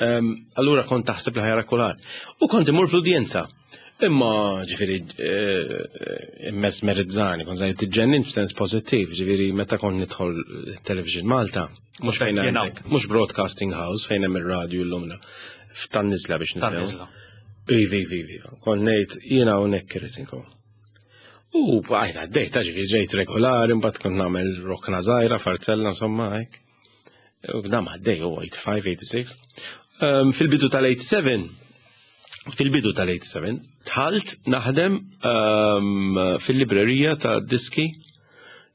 Ehm, allura kont taħseb li ħajra kulħadd. U kont imur fl-udjenza. Imma ġifieri eh, immesmerizzani, kont żgħid tiġġennin f'sens pożittiv, ġifieri meta kont nidħol Television Malta, mhux fejn għandek, mhux broadcasting house fejn hemm ir-radju llum f'tan-niżla biex nifhem. Ivi, ivi, ivi. Kont ngħid jiena hawnhekk irid inkun. U bqajt għaddej, ta' ġifieri ġejt regolari, mbagħad kont nagħmel rokna żgħira, farzella, insomma, hekk. U dam għaddej, u 85, 86. Ehm, fil-bidu tal-87, fil-bidu tal-87, tħalt naħdem ehm, fil-librerija ta' diski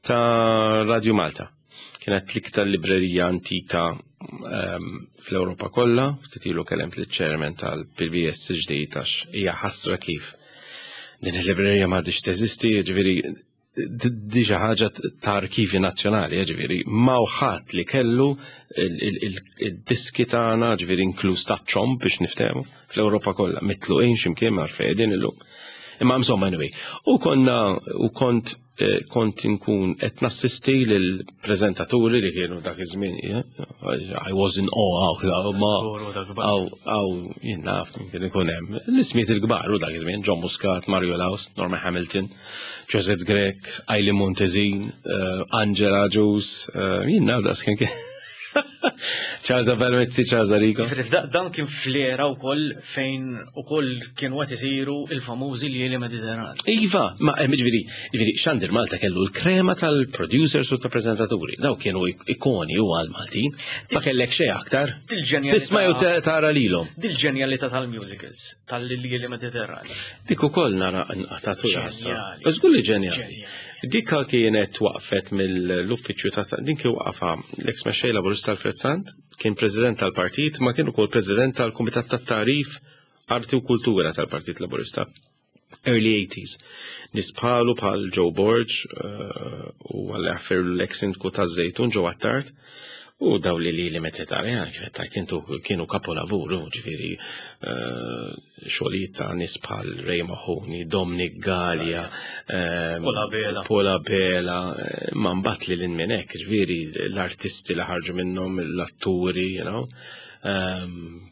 ta' Radio Malta. Kienet l-iktar librerija antika ehm, fl-Ewropa kollha, ftit ilu kellemt liċ-chairman tal-PBS ġdid għax hija ħasra kif din il-librerija m'għadix teżisti, ġifieri di xi ħaġa ta' arkivi nazzjonali, ġifieri ma ħadd li kellu il-diski tagħna, ġifieri inkluż ta' ċomb biex niftehmu fl-Ewropa kollha, mitluqin x'imkien ma fejn illum. Imma insomma anyway, u konna u kont Eh, kont inkun qed nassisti lil preżentaturi li kienu dak iż-żmien, I was in awe, ma għaw għaw jien naf kien ikun hemm. L-ismijiet il-kbar u dak iż-żmien, John Muscat, Mario Laus, Norma Hamilton, Josette Grech, Eileen Montezin, eh, Angela Ġus, eh, jien naf daqs kien Charles Avelmizzi, Charles Arrigo. Dan kien fl-era wkoll fejn ukoll kienu qed isiru il-famużi Ljieli Mediterran. Iva, ma eh, ġifieri, ġifieri Xandir Malta kellu l-krema tal-producers u tal-preżentaturi. Daw kienu ikoni u għal-Maltin. Ma kellek xejn aktar. Tisma' jew tara lilhom. Dil-ġenjalità tal-musicals, tal-Ljieli Mediterran. Dik ukoll nara nqatatu rasa. Żgur li ġenjali. Dika kienet twaqfet mill-uffiċċju ta' din kien waqafha l-eks mexxej Laburista Alfred Sant, kien president tal-partit, ma kien ukoll president tal-Kumitat tat-Tagħrif, Arti u Kultura tal-Partit Laburista. Early 80s. Nies bħalu bħal Joe Borg eh, u għal l-eks sindku taż-Żejtun Joe Attard. U daw li li li meta tara, kif qed tgħid intu kienu kapolavur, ġifieri eh, xogħlijiet ta' nies bħal Ray Mahoney, Dominic Gallia, eh, Paul Abela, Paul Abela, eh, ma mbagħad li lil minn hekk, ġifieri l-artisti li ħarġu minnhom, l-atturi, you know. Ehm,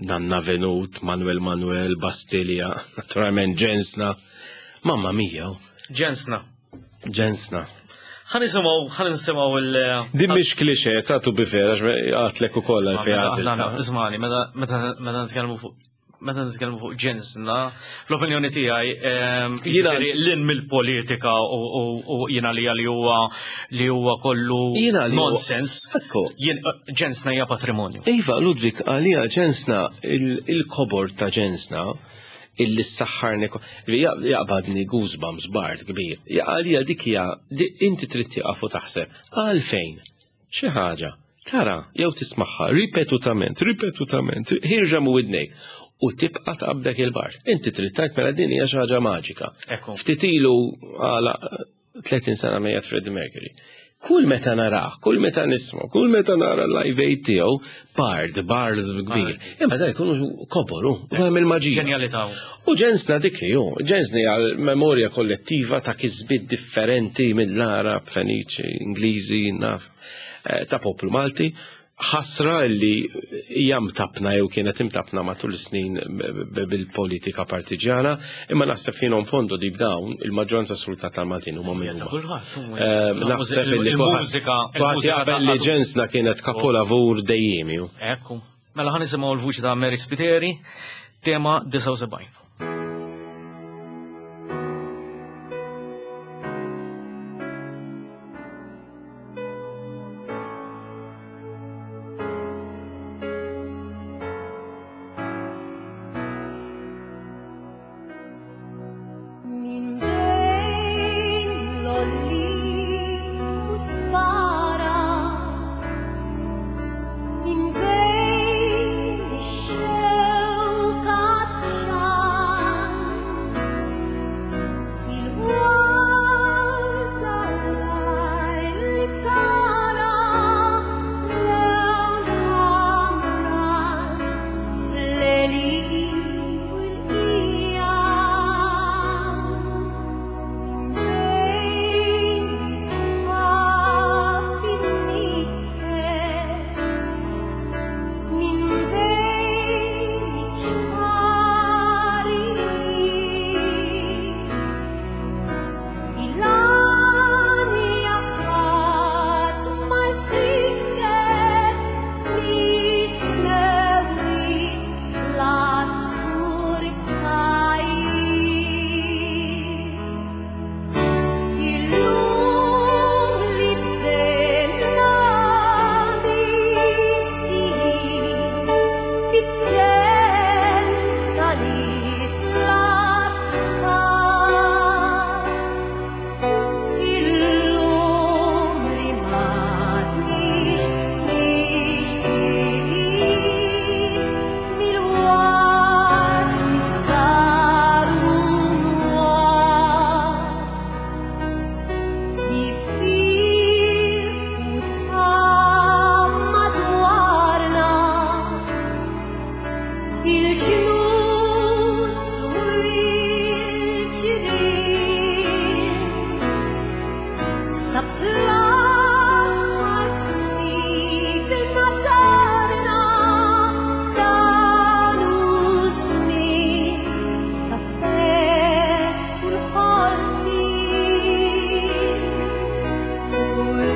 Nanna Venut, Manuel Manuel, Bastilja, naturalment Ġensna. Mamma mia. Ġensna. Ġensna. Ħa nisimgħu, ħa nisimgħu il- Din mhix klixe, ta' tu bifera, għatlek ukoll għal fejn għażil. Ismani, meta nitkellmu fuq meta nitkellmu fuq ġensna, fl-opinjoni tiegħi ehm, jiġifieri lin mill-politika u jiena li li huwa li huwa kollu nonsens. Ekku. Eh, ġensna hija patrimonju. Iva, Ludwig, għalija ġensna il-kobor ta' ġensna illi s-saħħarni li jaqbadni goosebumps bard kbir. Għalija dik hija inti trid tieqaf u taħseb għalfejn xi ħaġa tara jew tismagħha ripetutament, ripetutament, ħirġa mu widnejk u tibqa' taqbdek il-bard. Inti trid tgħid mela din hija xi ħaġa maġika. Ftit ilu għala 30 sena mejjet Freddie Mercury. Kull meta narah, kull meta nismu, kull meta nara l-live aid tiegħu, bard, bard kbir. Imma da jkunu koboru, u hemm il-maġija. Ġenjalità. U ġensna dik hi, ġensni għal memorja kollettiva ta' kisbiet differenti mill-Arab, Feniċi, Ingliżi, naf, eh, ta' poplu Malti ħasra li hija mtappna jew kienet imtappna matul is-snin bil-politika partiġjana, imma naħseb fino in fondo deep down il-maġġoranza assoluta tal-Maltin huma minn huma. Eh, naħseb li il-mużika jaqbel li ġensna kienet kapolavur dejjemi. Ekku. Mela ħa nisimgħu l-vuċi ta' Mary Spiteri, tema 79.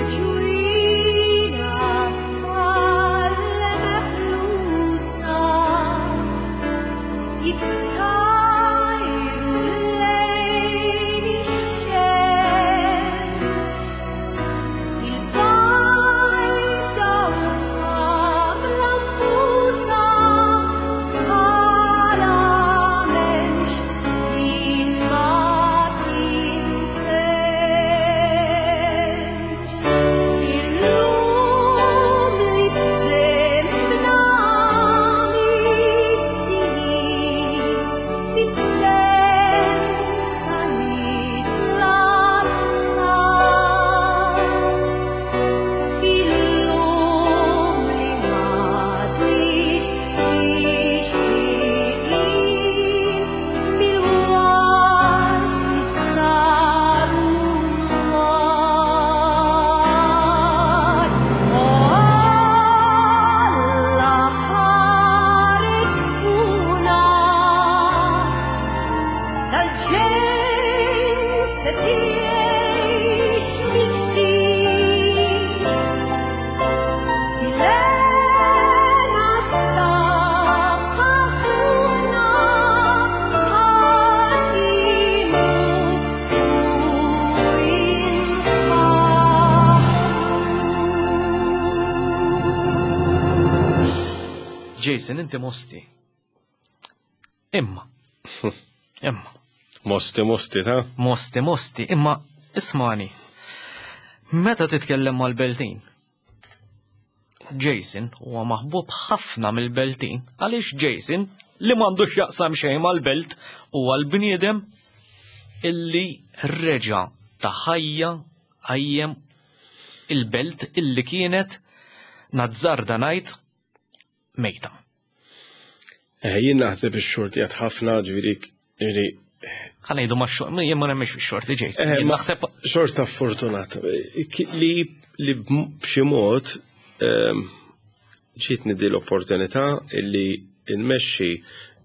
Il-ġwienaħ tal-meħlusa jittajru lejn ix-xemx. Il-bajda u l-ħamra mbusa bħala m'hemmx din ma tintemx. Illum li b'demmna mifdijin, bid-demm ta' nies l-azzar. Illum li m'għadniex mixtieqin mill-waqt li saru nwar. O Alla ħares fuqna dal-ġens se tgħix mill-ġdid. Fil-hena tagħha ruħna ħaqimu u infaħħru. Jason, inti mosti. Imma. Imma. Mosti, mosti, ta' Mosti, mosti, imma ismani. Meta titkellem mal-Beltin? Jason huwa maħbub ħafna mill-Beltin għaliex Jason li m'għandux jaqsam xejn mal-belt huwa l-bniedem illi reġa' ta' ħajja qajjem il-belt illi kienet nazzarda ngħid mejta. Eh, jien naħseb ix-xorti għad ħafna ġifieri ġifieri Ħa ngħidu ma' xort, jien ma nemmix fix-xorti Jason. Eh, Jien ma- naħseb xorta fortunat li li b'xi mod ġietni di l-opportunità illi nmexxi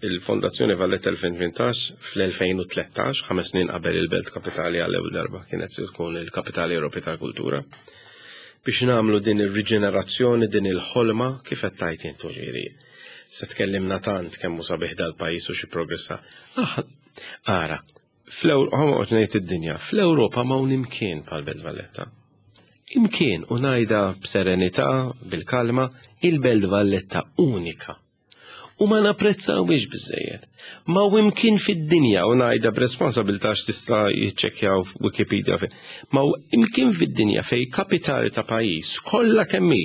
il-Fondazzjoni Valletta 2018 fl-2013, 5 snin qabel il-Belt Kapitali għall-ewwel darba kienet se tkun il-Kapitali Ewropea tal-Kultura, biex nagħmlu din ir-riġenerazzjoni, din il-ħolma kif qed tgħid intu ġifieri. Se tkellimna tant kemm hu sabiħ dal-pajjiż u xi progressa. Ah, ara, fl-Ewropa ngħid id-dinja, fl-Ewropa ma hawn imkien bħal Belt Valletta. Imkien u ngħidha b'serenità, bil-kalma, il-Belt Valletta unika. U ma napprezzawhiex biżżejjed. Ma hu imkien fid-dinja, u ngħidha b'responsabilità x'tista' jiċċekkjaw f'Wikipedia fejn. Ma hu imkien fid-dinja fej kapitali ta' pajjiż kollha kemm hi,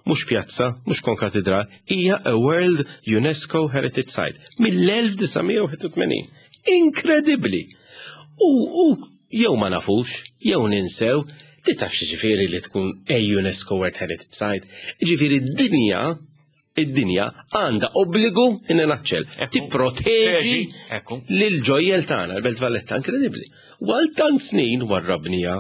mhux pjazza, mhux konkatedral, hija a World UNESCO Heritage Site mill-1981. Inkredibbli! U jew ma nafux, jew ninsew, li taf x'jiġifieri li tkun a UNESCO World Heritage Site, jiġifieri d-dinja id-dinja għandha obbligu in a nutshell, tipproteġi lil ġojjel tagħna, l-Belt Valletta, inkredibbli. U għal tant snin warrabnija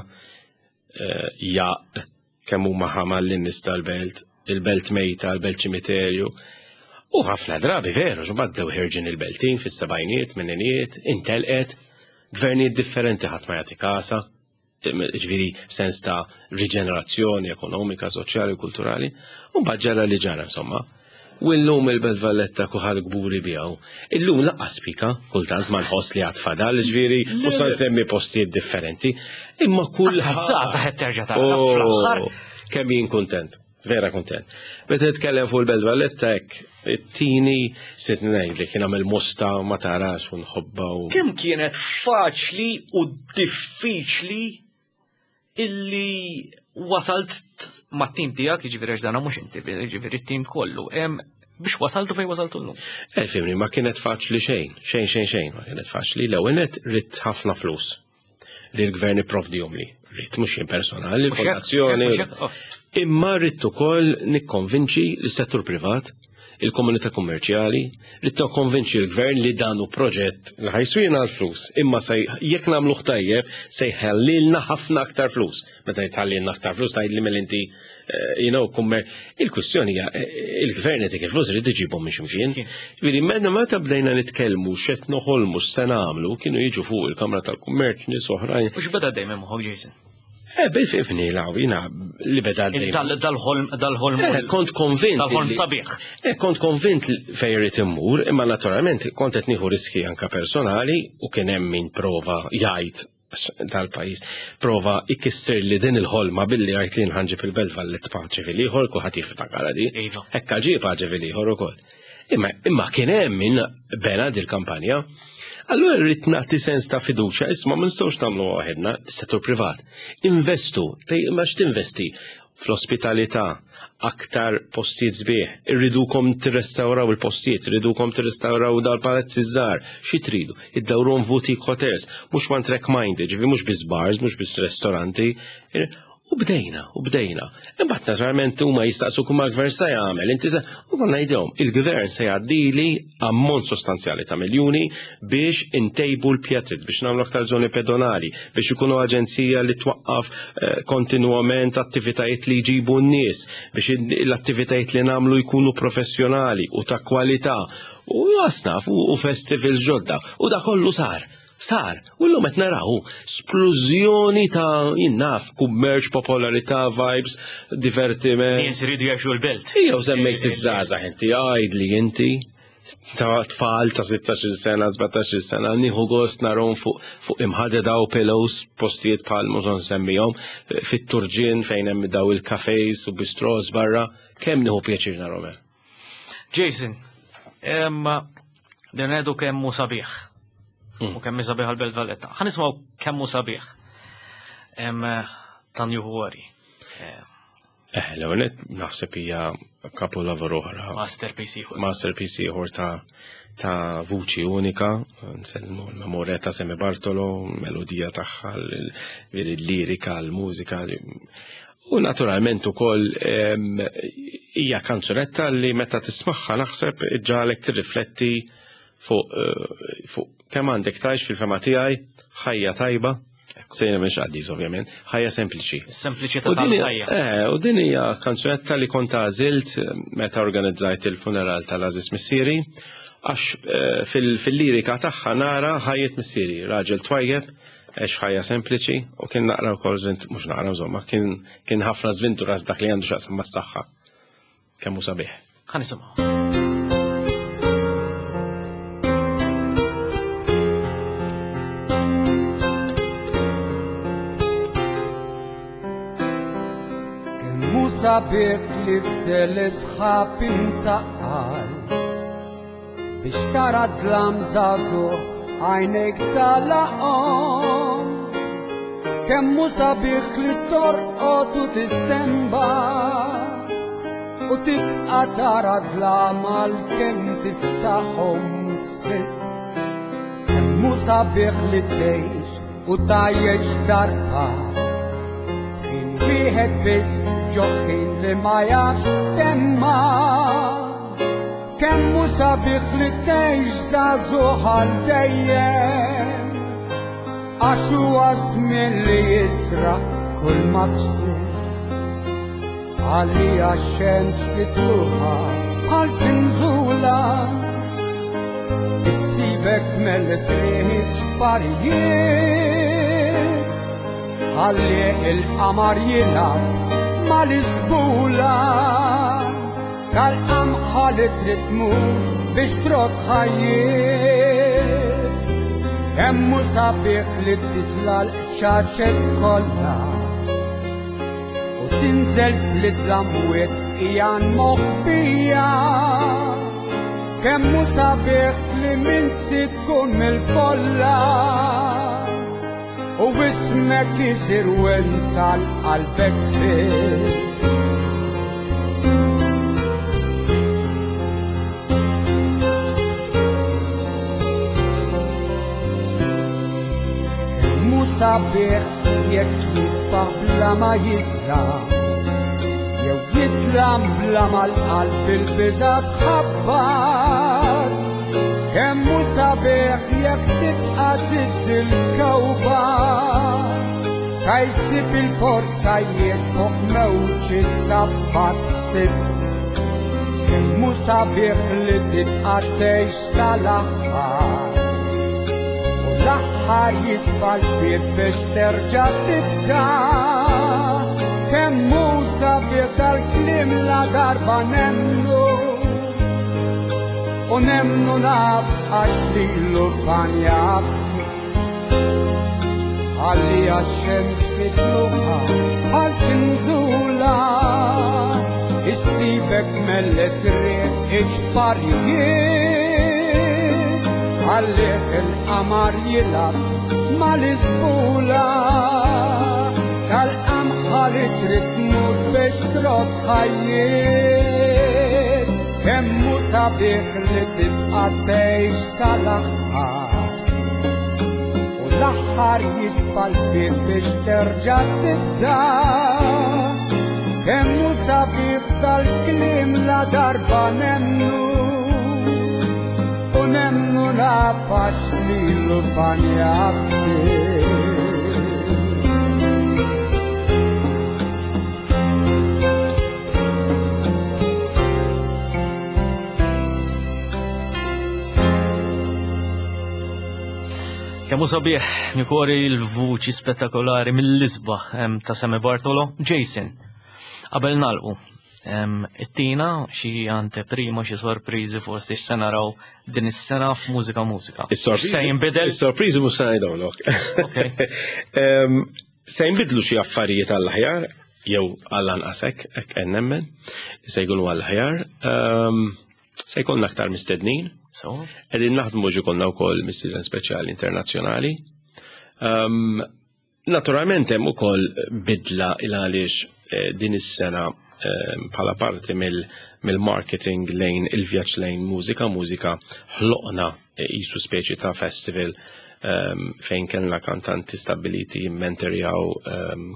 jaq kemm huma ħamal lin-nies tal-belt, il-belt mejta, il-belt ċimiterju. U ħafna drabi veru, ġbaddew ħirġin il-beltin fis-sebgħinijiet, tmeninijiet, intelqet, gvernijiet differenti ħadd ma jagħti kasa, ġifieri sens ta' riġenerazzjoni ekonomika, soċjali u kulturali, u mbagħad ġara li ġara insomma. U llum il-Belt Valletta kulħadd kburi biha. Illum laqqas spika, kultant ma nħoss li għad fadal, ġifieri, u sa nsemmi postijiet differenti, imma kull Żgħażagħ qed terġa' tara fl-aħħar. Kemm jien kuntent, vera kuntent. Meta titkellem fuq il-Belt Valletta hekk, it-tini sitt ngħidlek kien għamel mosta ma tarax u nħobba u Kemm kienet faċli u diffiċli illi wasalt mat-tim tiegħek, jiġifieri għax dan mhux inti, jiġifieri t-tim kollu, biex wasaltu fejn wasaltu llum? Fimni, ma kienet faċli xejn, xejn, xejn, xejn, ma kienet faċli. L-ewwel nett ridt ħafna flus li l-gvern ipprovdihom li. Ridt mhux jien personali, Mhux hekk, l-fondazzjoni. mhux hekk, mhux hekk, oh. Imma ridt ukoll nikkonvinċi l-settur privat, il-komunità kummerċjali, ridt nikkonvinċi l-gvern li dan hu proġett li ħajswina l-flus, imma jekk nagħmluh tajjeb se jħallilna ħafna aktar flus. Meta jitħallilna aktar flus tgħidli mela inti you know, kummer. Il-kwistjoni hija il-gvern qed il-flus irid iġibhom minn x'imkien. Ġifieri meta meta bdejna nitkellmu x'qed noħolmu x'se nagħmlu, kienu jiġu fuq il-Kamra tal-Kummerċ nies oħrajn. U x'beda dejjem moħħok, Jason? Eh, bil-fifni law, jina li beda għaddej. Dal-ħolm, dal-ħolm. Eh, kont konvint. Dal-ħolm sabiħ. Eh, kont konvint fejn irid immur, imma naturalment kont qed nieħu riski anka personali u kien hemm min prova jgħid dal-pajjiż prova ikisser li din il-ħolma billi għajt li nħanġib il-Belt Valletta paċi fil-ieħor kulħadd jiftakar di. Iva. Hekk ġie paċi fil-ieħor ukoll. Imma imma kien hemm min bena dil-kampanja. Allura rrid nagħti sens ta' fiduċja, isma' ma nistgħux nagħmlu waħedna, settur privat. Investu, imma x'tinvesti? Fl-ospitalità, aktar postijiet sbieħ, irridukom tirrestawraw il-postijiet, irridukom tirrestawraw dal-palazzi żgħar, xi tridu, iddawruhom f'boutique hotels, mhux one track minded, ġifi mhux biss bars, mhux biss ristoranti. U bdejna, u bdejna. Imbagħad naturalment huma jistaqsu kumma l-gvern se jagħmel, inti se u konna ngħidilhom, il-gvern se jgħaddili ammont sostanzjali ta' miljuni biex intejbu l-pjazzit, biex nagħmlu aktar żoni pedonali, biex ikunu aġenzija li twaqqaf eh, kontinwament attivitajiet li jġibu n-nies, biex l-attivitajiet li nagħmlu jkunu professjonali u ta' kwalità u jasnaf u festivals ġodda. U da kollu sar. Sar, u l-lum qed naraw splużjoni ta' jinnaf, kummerċ, popolarità, vibes, divertiment. Nies iridu jgħixu l-belt. Ejjew semmejt iż-żgħażagħ inti, għajd li inti ta' tfal ta' 16 sena, 17 sena, nieħu gost narhom fuq fuq imħadeda u pillows, postijiet bħal mhux nsemmihom, fit-turġien fejn hemm daw il-cafes u bistros barra, kemm nieħu pjaċir narhom hemm. Jason, din ngħidu kemm hu sabiħ. U kemm hi sabiħ għal-Belt Valletta. Ħa nisimgħu kemm hu sabiħ. Ta' New Worry. Eh, l-ewwel naħseb hija kapolavor oħra. Masterpiece ieħor. Masterpiece ieħor ta' ta' vuċi unika, nsellmu l-memorja ta' Sammy Bartolo, melodija tagħha, l-lirika, l-mużika. U naturalment ukoll hija kanzunetta li meta tismagħha naħseb iġġagħlek tirrifletti fuq eh, fuq kemm għandek tgħix fil-fema tiegħi ħajja tajba, sejna mhix qaddis ovvjament, ħajja sempliċi. Sempliċità U din hija- tal-ħajja. Eh, u din hija kanzunetta li kont għażilt meta organizzajt il-funeral tal-Għażiż Missieri, għax eh, fil-lirika tagħha nara ħajjet missieri, raġel twajjeb, għex ħajja sempliċi u kien naqra wkoll żvint, mhux naqra insomma, kien kien ħafna żventurat dak li għandu x'jaqsam mas-saħħa. Kemm hu sabiħ. Ħa nisimgħu. Kemm hu sabiħ li f'telesħab imtaqqal biex tara dlam żagħżugħ għajnejk talaqhom. Kemm hu sabiħ li torqod u tistenba u tibqa' tara dlam għalkemm tiftaħhom sitt. Kemm hu sabiħ li tgħix u tgħajjex darba F'ħin wieħed biss ġo ħin li ma jafx temma. Kemm hu sabiħ li tgħix żagħżugħ għal dejjem għax huwa żmien li jisraq kull ma ksibt. Għalija x-xemx fitluħa bħal finżula Issibek tmelles riħi f'xparijiet Ħalli il-qamar jilgħab mal-isbula Tal-qamħa li trid tmur biex trod ħajjiet Kemm hu sabiħ li titla' l-qċaċet kollha u tinżel fl-idlamwiet ijan moħbija. Kemm hu sabiħ li minsi tkun mill-folla u ismek isir wensa l-qalbek biss. Kemm hu sabiħ jekk jisbaħ bla ma jitla' jew jitla bla ma l-qalb il-biża' tħabbat. Kemm hu sabiħ jekk tibqa' tiddi l-kewba sa jsib il-port sajjiet fuq mewġ is-sabbat ħsibt. Kemm hu sabiħ li tibqa' tgħix sal-aħħar. U l-aħħar jisfa l-bieb biex terġa' tibda. Kemm hu sabiħ dal-kliem la darba nemmnu u nemmnu naf għax lilu fanja Għalli għax-xemx mitluħa bħal finżula Issibek melles riħ iġbarijiet Għallih il-qamar jilab mal-isbula Tal-qamħa li trid tmut biex trob ħajjiet Kemm hu sabiħ li tibqa' tgħix sal-aħħar U l-aħħar jisfa l-bieb biex terġa' tibda. Kemm hu sabiħ dal-kliem la darba nemmnu u nemmnu naf għax lilu fanja ktieb. Kemm hu sabiħ nikori l-vuċi spettakolari mill-isbaħ ta' Sammy Bartolo. Jason, qabel nagħlqu, it-tina xi anteprima, xi sorpriżi forsi x'se naraw din is-sena f'Mużika Mużika. Is-sorpriżi Se jinbidel? Is-sorpriżi mhux se ngħidhomlok. Se jinbidlu xi affarijiet għall-aħjar, jew għall-anqas hekk, hekk qed nemmen, li se jkunu għall-aħjar. Se jkollna aktar mistednin. Qegħdin naħdmu ġi konna wkoll mistieden speċjali internazzjonali. Naturalment hemm ukoll bidla il għaliex din is-sena bħala parti mill-marketing lejn il-vjaġġ lejn mużika, mużika ħloqna qisu speċi ta' festival fejn kellna kantanti stabiliti jimmentorjaw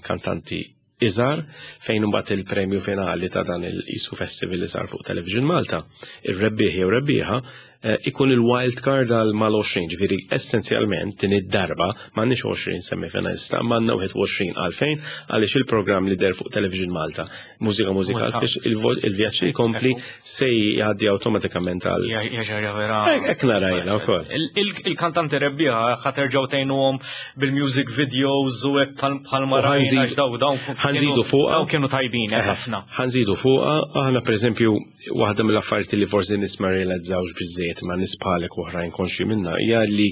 kantanti iżgħar, fejn imbagħad il-premju finali ta' dan il-qisu festival li sar fuq Television Malta, ir-rebbieħ jew rebbieħa ikun il-wild card għal mal-20, ġifieri essenzjalment din id-darba m'għandniex 20 semifinalista, m'għandna 21. Għalfejn? Għaliex il-programm li der fuq Television Malta, Mużika Mużika, għalfiex il-vjaġġ li jkompli se jgħaddi awtomatikament għal Ja, ja, ja, ja, vera. Hekk nara jiena wkoll. Il-kantanti rebbieħa ħa terġgħu tgħinuhom bil-music videos u hekk bħal ma U rajna għax dawn ħanżidu fuqha. dawn kienu tajbin, ħafna. Ħanżidu fuqha, aħna pereżempju waħda mill-affarijiet li forsi nies ma rrealizzawx biżżejjed ma nies bħalek oħrajn konxi minna hija li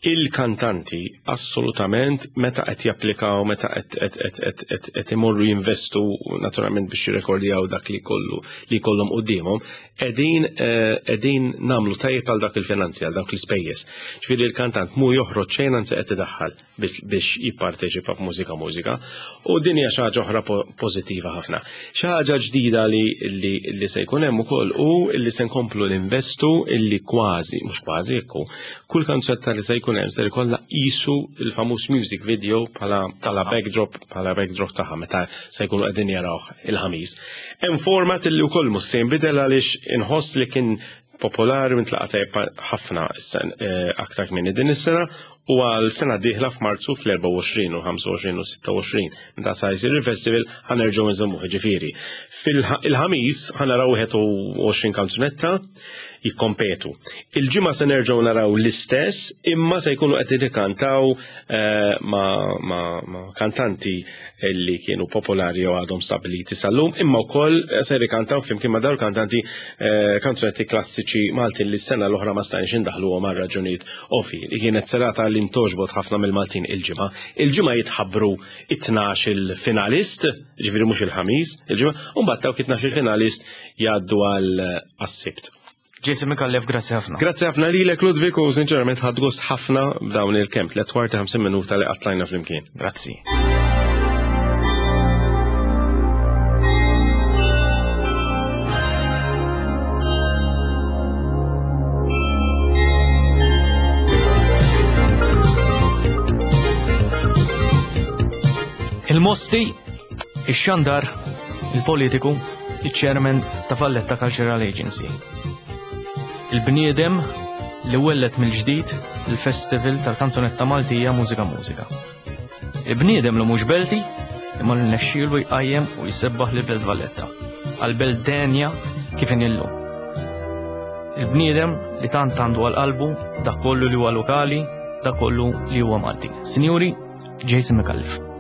il-kantanti assolutament meta qed japplikaw, meta qed imorru jinvestu naturalment biex jirrekordjaw dak li kollu li jkollhom quddiemhom, qegħdin nagħmlu tajjeb għal dak il-finanzi, għal dawk l-ispejjeż. Ġifieri l-kantant mu joħroġ xejn anzi qed idaħħal biex jipparteċipa f'Mużika Mużika, u din hija xi ħaġa oħra pożittiva ħafna. Xi ħaġa ġdida li se jkun hemm ukoll hu li se nkomplu ninvestu illi kważi, mhux kważi, ekku, kull kanzunetta li se jkun hemm se jkollha qisu il-famuż music video bħala backdrop, bħala backdrop tagħha meta se jkunu qegħdin jarawh il-ħamis. Hemm format illi wkoll mhux se jinbidel għaliex inħoss li kien popolari u ntlaqa' tajjeb ħafna aktar kmieni din is-sena, u għal sena dieħla f'Marzu fl-24 u 25 u 26 meta sa jsir il-festival ħanerġgħu nżommuh. Ġifieri fil-ħamis ħanaraw 21 kanzunetta jikkompetu. Il-ġimgħa se nerġgħu naraw l-istess, imma se jkunu qed jikkantaw ma' kantanti li kienu popolari jew għadhom stabiliti sal-lum, imma wkoll se jrikantaw flimkien ma' dawn kantanti kanzunetti klassiċi Maltin li s-sena l-oħra ma stajniex indaħluhom għal raġunijiet ofi, li kienet serata li ntoġbot ħafna mill-Maltin il-ġimgħa. Il-ġimgħa jitħabbru it-tnax il-finalist, ġifieri mhux il-ħamis, il-ġimgħa, u mbagħad dawk it-tnax il-finalist jgħaddu għal għas-Sibt. Jason Micallef, grazzi ħafna. Grazzi ħafna lilek, Ludwig, u sinċerament ħadt gost ħafna b'dawn il-kemm tliet kwarti 50 minuta li qattajna flimkien. Grazzi. Il-Mosti, ix-xandar, il-politiku, il-chairman ta' Valletta Cultural Agency. Il-bniedem li wellet mill-ġdid il-Festival tal-Kanzunetta Maltija Mużika Mużika. Il-bniedem li mhux belti, imma li nexxielu jqajjem u jsebbaħ lil Belt Valletta, għal belt denja kif inhi llum. Il-bniedem li tant għandu għal qalbu dak kollu li huwa lokali, dak kollu li huwa Malti. Sinjuri, Jason Micallef.